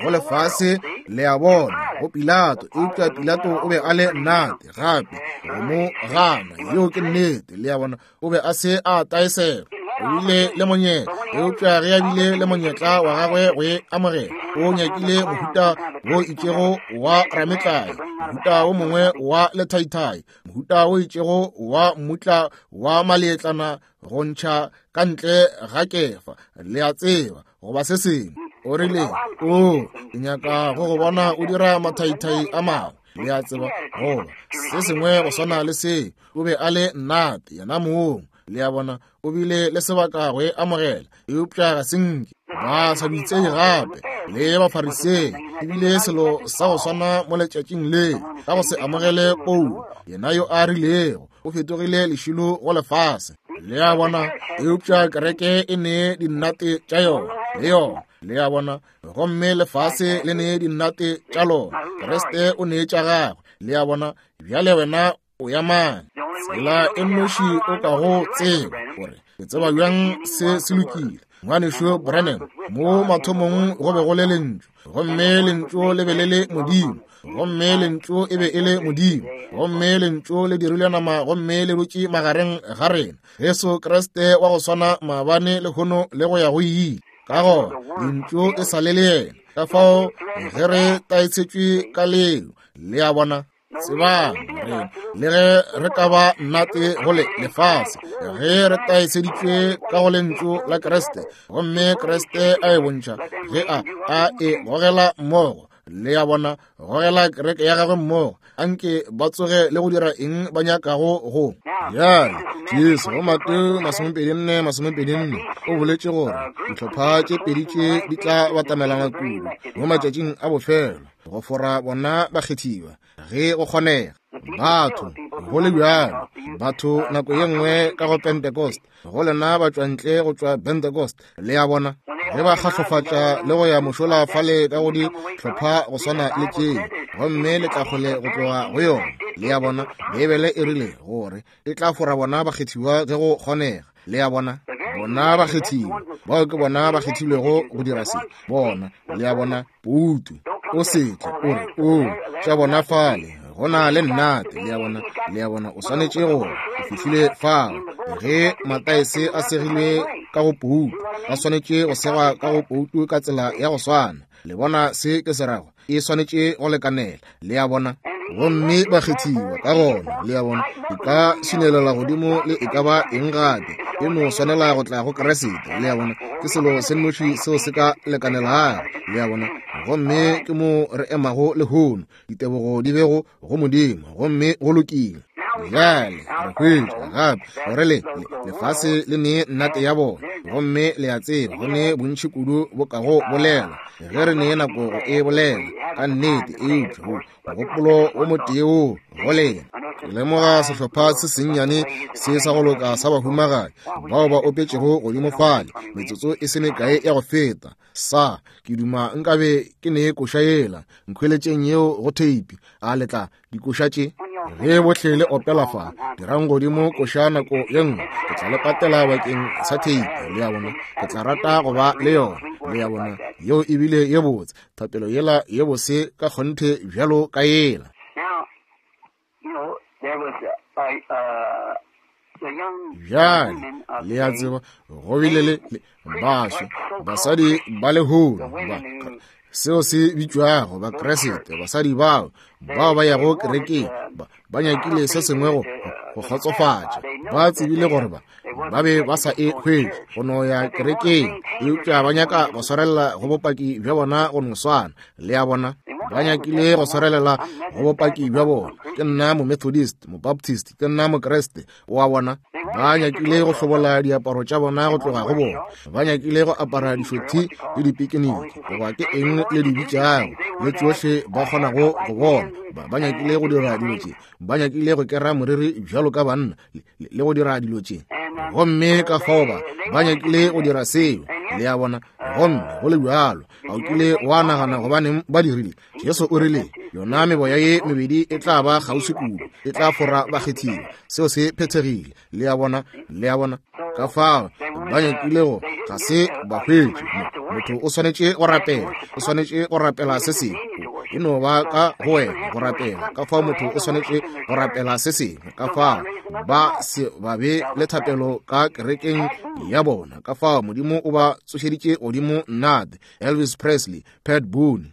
go lefase, le a bona, go Pilato. Eupša Pilato o be a le nnate gape go mo gana. Yeo ke nnete, le a bona. O be a se a taesela. O bile le monyetla, eupša ge a bile le monyetla wa gagwe go e amogela, o nyakile mohuta wo itšego wa rametlae, mohuta wo mongwe wa lethaithai, mohuta wo itšego wa mmutla wa maletlana go ntšha ka ntle ga kefa, le a tseba, goba se sengwe. O rile, o, ke nyaka go go bona o dira mathaithai a mangwe, le a tseba, goba se sengwe go swana le se. O be a le nnate yena mong, le a bona. O bile le sebaka go e amogela, eupša ga se nke ba sa bitsei gape le Bafarisei. Ebile selo sa go swana mo letšatšing le, ka go se amogele Paulo, yena yo a rilego o fetogile lešilo go lefase, le a bona. Eupša kereke e nee dinnate tša yona le yona, le a bona, gomme lefase le nee dinnate tša lona. Kriste o nee tša gagwe, le a bona. Bjale wena o ya mang? Tsela e nnoši o ka go tseba gore ke tseba bjang se se lokile, ngwanešu Branham, mo mathomong go be go le lentšu, gomme lentšu le be le le Modimo, gomme lentšu e be e le Modimo, gomme lentšu le dirilwe nama gomme le dutše magareng ga rena. Jesu Kriste wa go swana maabane lehono le go ya go ile. Ka gona lentšu e sa le le yena. Ka fao ge re taetšetšwe ka leo, le a bona. Tsebang re le ge re ka ba nnate go le lefase, ge re taeseditšwe ka go lentšu la Kriste, gomme Kriste a e bontšha ge a a e gogela mmogo, le a bona, gogela kereke ya gagwe mmogo, anke ba tsoge le go dira eng ba nyakago go. Bjale Jesu go Mateo masomepedi nne masomepedi nne o boletše gore dihlopha tše pedi tše di tla batamelana kudu mo matšatšing a bofelo go fora bona bakgethiwa ge go kgonega. Batho go le bjalo, batho nako ye nngwe ka go Pentecost, go lena ba tšwa ntle go tšwa Pentecost, le a bona, ge ba kgahlofatša le go ya mošola fale ka go dihlopha go swana le tšeo, gomme le tla kgole go tloga go yona, le a bona. Beibele e rile gore e tla fora bona bakgethiwa ge go kgonega, le a bona. Bona bakgethiwa bao ke bona ba kgethilwego go dira se, bona, le a bona. Poutu o setle o re o tša bona fale go na le nnate, le a bona, le a bona. O swanetše go o fihlile fao ge mataese a segilwe ka go poutu, ba swanetše go segwa ka go poutu ka tsela ya go swana. Le bona se ke se rago, e swanetše go lekanela, le a bona. Gomme bakgethiwa ka gona, le a bona, e ka swinelela godimo le e ka ba eng gape, e no swanela go tla go Kriste, le a bona. Ke selo se nnoši seo se ka lekanelago, le a bona. Gomme ke mo re emago lehono, ditebogo di bego go Modimo, gomme go lokile. Bjale re hwetša gape gore le lefase le nee nnate ya bona, gomme le a tseba go ne bontši kudu bo ka go bolela ge re nee nako go e bolela ka nnete, eupša mogopolo o motee wo go lena. Ke lemoga sehlopha se sennyane se sa go loka sa bahumagadi bao ba opetšego godimo fale metsotso e se mekae ya go feta. Sa ke duma nkabe ke ne koša yela nkhweletšeng yeo go theipi. A letla dikoša tše ge bohle le opela fa, dirang godimo koša nako ye nngwe, ke tla le patela bakeng sa theipi, le a bona. Ke tla rata go ba le yona, le a bona. Yeo ebile ye botse, thapelo yela ye bose ka kgonthe bjalo ka yela. Bjale le a tseba go bile le baswa basadi ba lehono ba Seo se bitšwago Bakriste, basadi bao bao ba yago kerekeng, ba, ba nyakile se sengwe go, go kgotsofatša. Ba tsebile gore ba, ba be ba sa e hwetše go no ya kerekeng, eupša ba nyaka go swarelela go bopaki bja bona go no swana. Le a bona, ba nyakile go swarelela go bopaki bja bona. Ke nna Momethodist, Mobaptist, ke nna Mokriste, o a bona. Ba nyakile go hlobola diaparo tša bona go tloga go bona. Ba nyakile go apara dišothi le dipikiniki, goba ke eng le di bitšago, le tšohle ba kgonago go bona. Ba, ba nyakile go dira dilo tše, ba nyakile go kera moriri bjalo ka banna, le, le go dira dilo tše. Gomme ka fao ba, ba nyakile go dira seo, le a bona. Gomme go le bjalo, ga o kile wa nagana gobaneng ba dirile. Jesu o rile, yona meboya ye mebedi e tla ba kgauswi kudu, e tla fora bakgethiwa. Seo se phethegile, le a bona, le a bona. Ka fao ba nyakile go, ga se ba hwetše. Motho o swanetše go rapela, o swanetše go rapela se sengwe. E no ba ka go wena go rapela. Ka fao motho o swanetše go rapela se sengwe. Ka fao ba se ba be le thapelo ka kerekeng ya bona. Ka fao Modimo o ba tsošeditše godimo nnate. Elvis Presley, Pat Boone,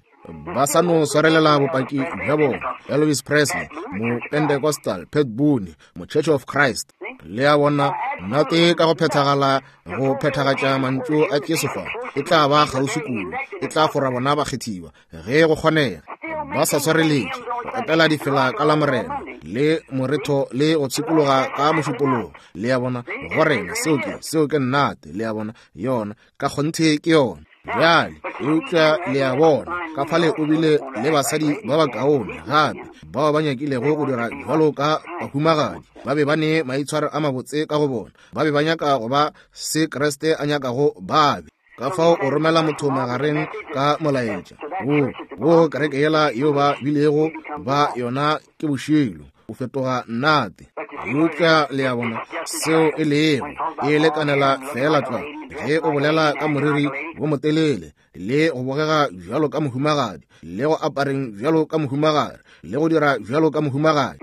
ba sa no swarelela bopaki bja bona. Elvis Presley, mo Pentecostal, Pat Boone, mo Church of Christ. Le a bona, nnate ka go phethagala, go phethagatša mantšu a Jesu fa, e tla ba kgauswi kudu, e tla fora bona bakgethiwa ge go kgonega. Ba sa swareletše go opela difela ka la Morena le moretho le go tshikologa ka mošupologo. Le a bona, go rena seo ke, seo ke nnate. Le a bona, yona ka kgonthe ke yona. Bjale, eupša le a bona, ka fale o bile le basadi ba bakaone gape bao ba nyakilego go dira bjalo ka bahumagadi. Ba be ba ne maitshwaro a mabotse ka go bona. Ba be ba nyaka go ba se Kriste a nyakago ba be. Ka fao o romela motho magareng ka molaetša wo, wo kereke yela yeo ba bilego ba yona ke bošilo, o fetoga nnate. Eupša le a bona seo e lego, e lekanela fela tlwa ge o bolela ka moriri wo motelele le go bogega bjalo ka mohumagadi, le go apareng bjalo ka mohumagadi, le go dira bjalo ka mohumagadi.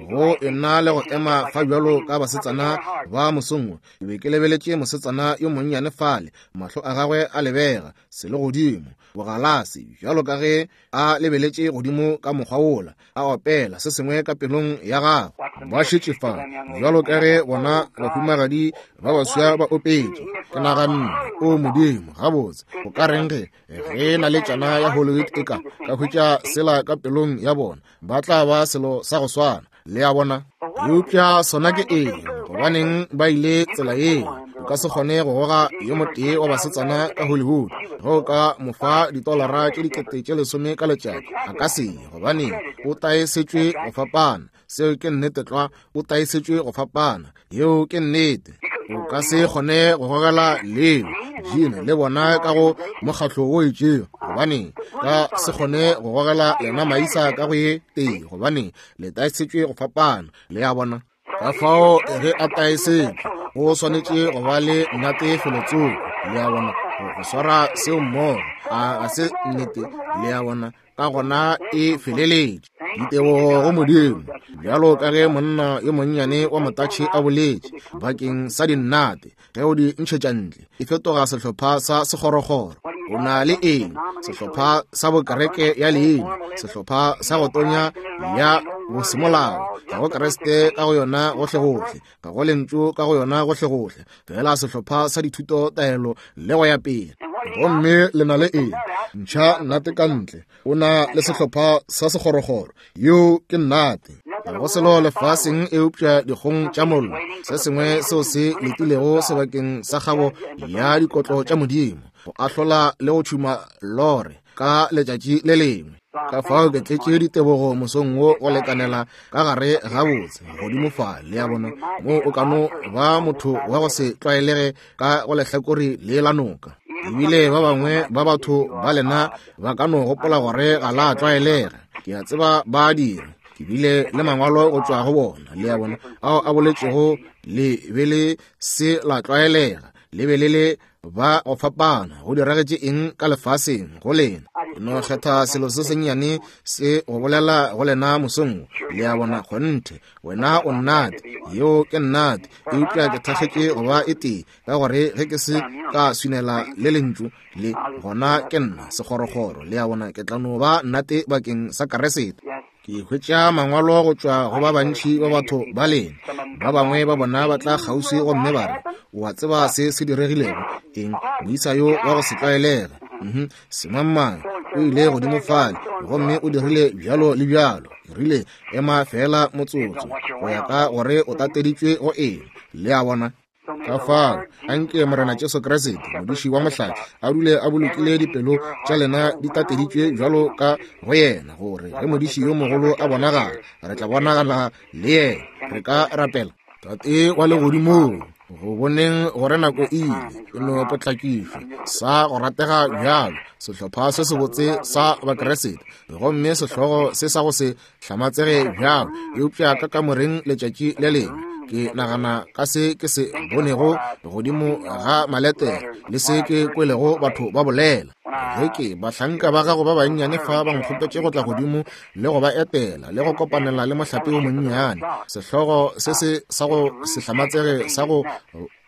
Go ena le go ema fa bjalo ka basetsana ba mosongwe, ke be ke lebeletše mosetsana yo monnyane fale, mahlo a gagwe a lebega selegodimo, bogalase bjalo ka ge a lebeletše godimo ka mokgwa wola, a opela se sengwe ka pelong ya gagwe. Ba šetše fa bjalo ka ge bona bahumagadi ba baswa ba opetše. Ke naganne, o Modimo, gabotse o ka reng ge ge naletšana ya Hollywood e ka ka hwetša sela ka pelong ya bona, ba tla ba selo sa go swana. Le a bona. Eupša sona ke eng? Gobaneng ba ile tsela yeo? O ka se kgone go goga yo motee wa basetsana ka Hollywood ge o ka mo fa ditolara tše dikete tše lesome ka letšatši, a ka se ye. Gobaneng? O taesetšwe go fapana. Seo ke nnete tlwa. O taesetšwe go fapana. Yeo ke nnete. O ka se kgone go gogela leo Gene le bona ka go mokgatlo wo itšego. Gobaneng ka se kgone go gogela lena maisa ka go ye tee? Gobaneng le taesetšwe go fapana. Le a bona. Ka fao ge a taesetšwe, o swanetše go ba le nnate felotsoko. Le a bona, go swara seo mmogo, a ga se nnete. Le a bona, ka gona e feleletše. Ditebogo go Modimo, bjalo ka ge monna yo monnyane wa motatšhe a boletše bakeng sa dinnate, ge o di ntšhetša ntle, e fetoga sehlopha sa sekgorokgoro. O na le eng? Sehlopha sa bokereke ya leina, sehlopha sa go tonya ya bosemolao. Ga go Kriste ka go yona gohlegohle, ga go lentšu ka go yona gohlegohle, fela sehlopha sa dithuto taelo le go ya pele. Gomme le na le eng? Ntšha nnate ka ntle, o na le sehlopha sa sekgorokgoro. Yeo ke nnate. Ga go selo lefaseng eupša dikgong tša mollo, se sengwe seo se letilego sebakeng sa kgabo ya dikotlo tša Modimo, go ahlola le go tšhuma lore ka letšatši le lengwe. Ka fao ke tletše ditebogo mosong wo go lekanela ka gare gabotse godimo fa. Le a bona, mo o ka no ba motho wa go se tlwaelege ka go lehlakore le la noka. Ebile ba bangwe ba batho ba lena ba ka no gopola gore ga la tlwaelega. Ke a tseba ba dira. Ke bile le mangwalo go tšwa go bona, le a bona, ao a boletšego le be le se la tlwaelega, le be le le ba go fapana. Go diragetše eng ka lefaseng go lena? No kgetha selo se sennyane se go bolela go lena mosong. Le a bona, kgonthe wena o nnate, yeo ke nnate, eupša ke thakgetše go ba e tee, ka gore ge ke se ka swinela le lentšu le, gona ke nna sekgorokgoro. Le a bona, ke tla no ba nnate bakeng sa Keresete. Ke hwetša mangwalo go tšwa go ba bantši ba batho ba lena. Ba bangwe ba bona ba tla kgauswi gomme ba re, o a tseba se se diregilego? Eng, moisa yo wa go se tlwaelege, mhm, semangmang, o ile godimo fale gomme o dirile bjalo le bjalo. Ke rile, ema fela motsotso, go ya ka gore o tateditšwe go eng. Le a bona? Ka fao, anke Morena Jesu Kriste, modiši wa mohlare, a dule a bolokile dipelo tša lena di tateditšwe bjalo ka go yena, gore ge modiši yo mogolo a bonagala, re tla bonagala le yena. Re ka rapela. Tate wa legodimong, go boneng gore nako e ile, e no potlakišwa sa go ratega bjalo, sehlopha se sebotse sa Bakeresete, gomme sehlogo se sa go se hlamatsege bjalo, eupša ka kamoreng letšatši le lengwe ke nagana ka se ke se bonego godimo ga maletere le se ke kwelego batho ba bolela. Ge ke bahlanka ba gago ba bannyane fa ba nkgopetše go tla godimo le go ba etela le go kopanela le mohlape o monnyane, sehlogo se se sa go se hlamatsege sa go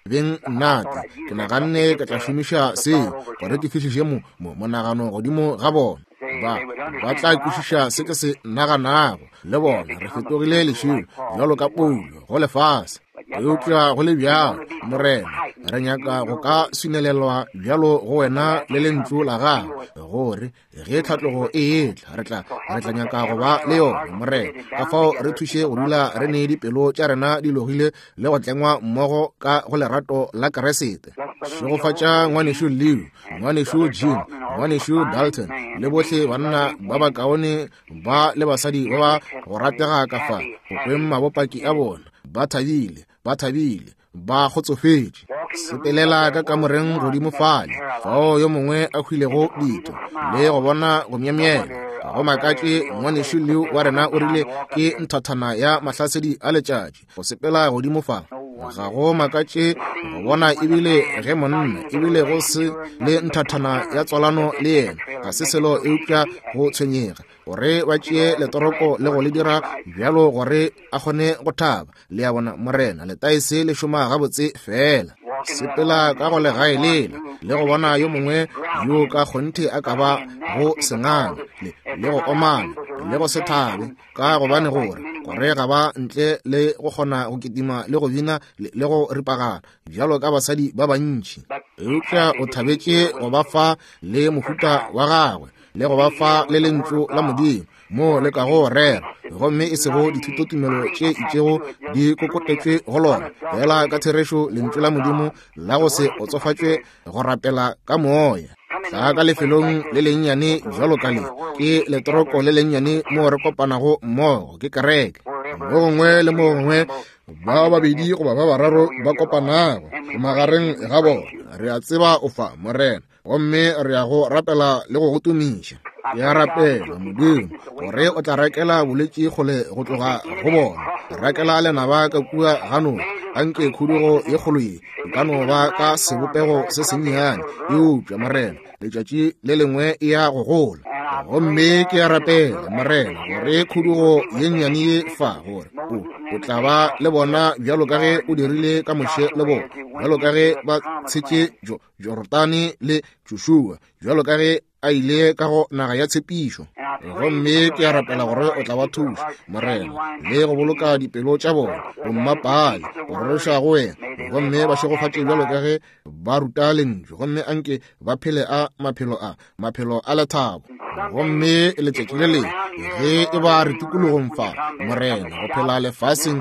beng nnate, ke naganne ke tla šomiša seo gore ke fihliše mo monagano godimo ga bona. Ba ba tla kwešiša se ke se naganago. Le bona re fetogile lešilo bjalo ka Paulo go lefase, eupša go le bjalo, Morena, re nyaka go ka swinelelwa bjalo go wena le lentšu la gago, gore ge tlhatlogo e etla, re tla re tla nyaka go ba le yona, Morena. Ka fao re thuše go dula re ne dipelo tša rena di logile le go tlengwa mmogo ka go lerato la Keresete. Šegofatša ngwanešu Leo, ngwanešu Jim, ngwanešu Dalton, le bohle banna ba bakaone ba le basadi ba ba go ratega ka fa go kweng mabopaki a bona. Ba thabile, ba thabile, ba kgotsofetše. Sepelela ka kamoreng godimo fale, fao yo mongwe a hwilego ditho, le go bona go myemyela. Ga go makatše ngwanešu Leo wa rena o rile ke nthathana ya mahlasedi a letšatši go sepela godimo fa. Ga go makatše go bona ebile ge monna ebile go se le nthathana ya tswalano le yena, ga se selo eupša go tshwenyega gore ba tšee letoroko le go le dira bjalo gore a kgone go thaba. Le a bona, Morena, letaese le šoma gabotse fela. Sepela ka go legae lela le go bona yo mongwe yo ka kgonthe a ka ba go sengana le, le go omana le go se thabe, ka gobane gore gore ga ba ntle le go kgona go kitima le go bina le, le go ripagana bjalo ka basadi ba bantši. Eupša o thabetše go ba fa le mohuta wa gagwe le go ba fa le lentšu la Modimo mo le ka go rera, gomme e sego dithutotumelo tše itšego di kokotetšwe go lona, fela ka therešo lentšu la Modimo la go se otsofatšwe go rapela ka moya. Tla ka lefelong le lennyane bjalo ka le, ke letoroko le lennyane mo re kopanago mmogo, ke kereke. Mo gongwe le mo gongwe ba babedi goba ba bararo ba kopanago magareng ga bona, re a tseba o fa, Morena, gomme re ya go rapela le go go tumiša. Ke a rapela, Modimo, gore o tla rakela bolwetši kgole go tloga go bona, rakela lenaba ka kua ganong. Anke khudugo ye kgolo ye e ka no ba ka sebopego se sennyane, eupša Morena, letšatši le lengwe e ya go gola. Gomme ke a rapela, Morena, gore khudugo ye nnyane ye fa, gore o o tla ba le bona bjalo ka ge o dirile ka Moshe le bona, bjalo ka ge ba tshetše Jorodane le Joshua, bjalo ka ge a ile ka go naga ya tshepišo. Gomme ke a rapela gore o tla ba thuša, Morena, le go boloka dipelo tša bona bommapale go roroša go wena, gomme ba šegofatše bjalo ka ge ba ruta lentšu, gomme anke ba phele a maphelo a maphelo a lethabo. Gomme letšatši le lengwe ge e ba re tikologong fa, Morena, go phela lefaseng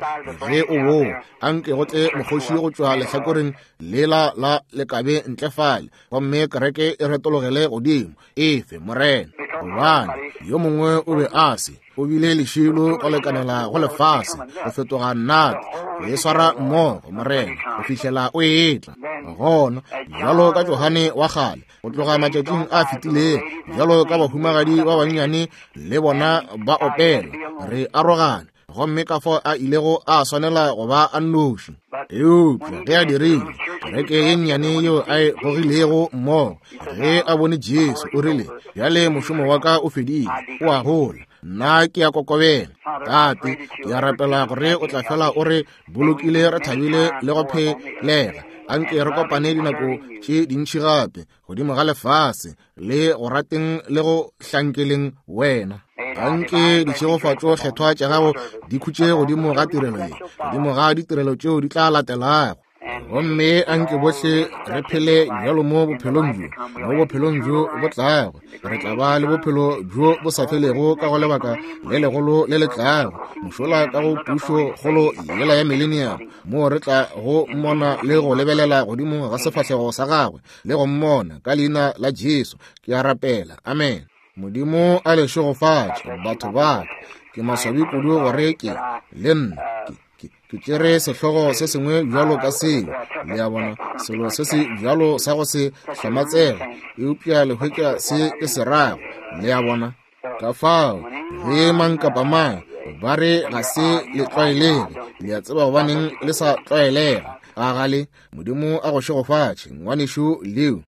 ge o boa, anke go tle mokgoši go tšwa lehlakoreng lela la lekabe ntle fale, gomme kereke e retologele godimo. Efe, Morena, gobane yo mongwe o be a se o bile lešilo go lekanela go lefase go fetoga nnate, go e swara mmogo, Morena, go fihlela o etla. Gona bjalo ka Johane wa kgale go tloga matšatšing a fetilego, bjalo ka bahumagadi ba bannyane le bona ba opela, re arogane, gomme ka fao a ilego a swanela go ba a nnoši. Eupša ge a dirile, Kereke ye nnyane yeo a e gogilego mmogo, ge a bone Jesu, o rile, bjale mošomo wa ka o fedile, o a gola, nna ke a kokobela. Tate, ke a rapela gore o tla fela o re bolokile re thabile le go phelega. Anke re kopane dinako tše dintši gape godimo ga lefase, le go rateng le go hlankeleng wena. Anke ditšhegofatšo kgethwa tša gago di khutše godimo ga tirelo ye, godimo ga ditirelo tšeo di tla latelago. Gomme anke bohle re phele bjalo mo bophelong bjo, mo bophelong bjo bo tlago. Re tla ba le bophelo bjo bo sa felego ka go lebaka le legolo le le tlago, mošola ka go pušo kgolo yela ya millennium, moo re tla go mmona le go lebelela godimo ga sefahlego sa gagwe le go mmona ka leina la Jesu. Ke a rapela, amen. Modimo a le šegofatše, batho ba ka. Ke maswabi kudu gore ke le nna ke ke tšere sehlogo se sengwe bjalo ka seo, le a bona, selo se se bjalo sa go se hlamatsega, eupša le hwetša se ke se rago, le a bona. Ka fao ge mang kapa mang ba re ga se le tlwaelege, le a tseba gobaneng le sa tlwaelega. A gale, Modimo a go šegofatše, ngwanešu Leo.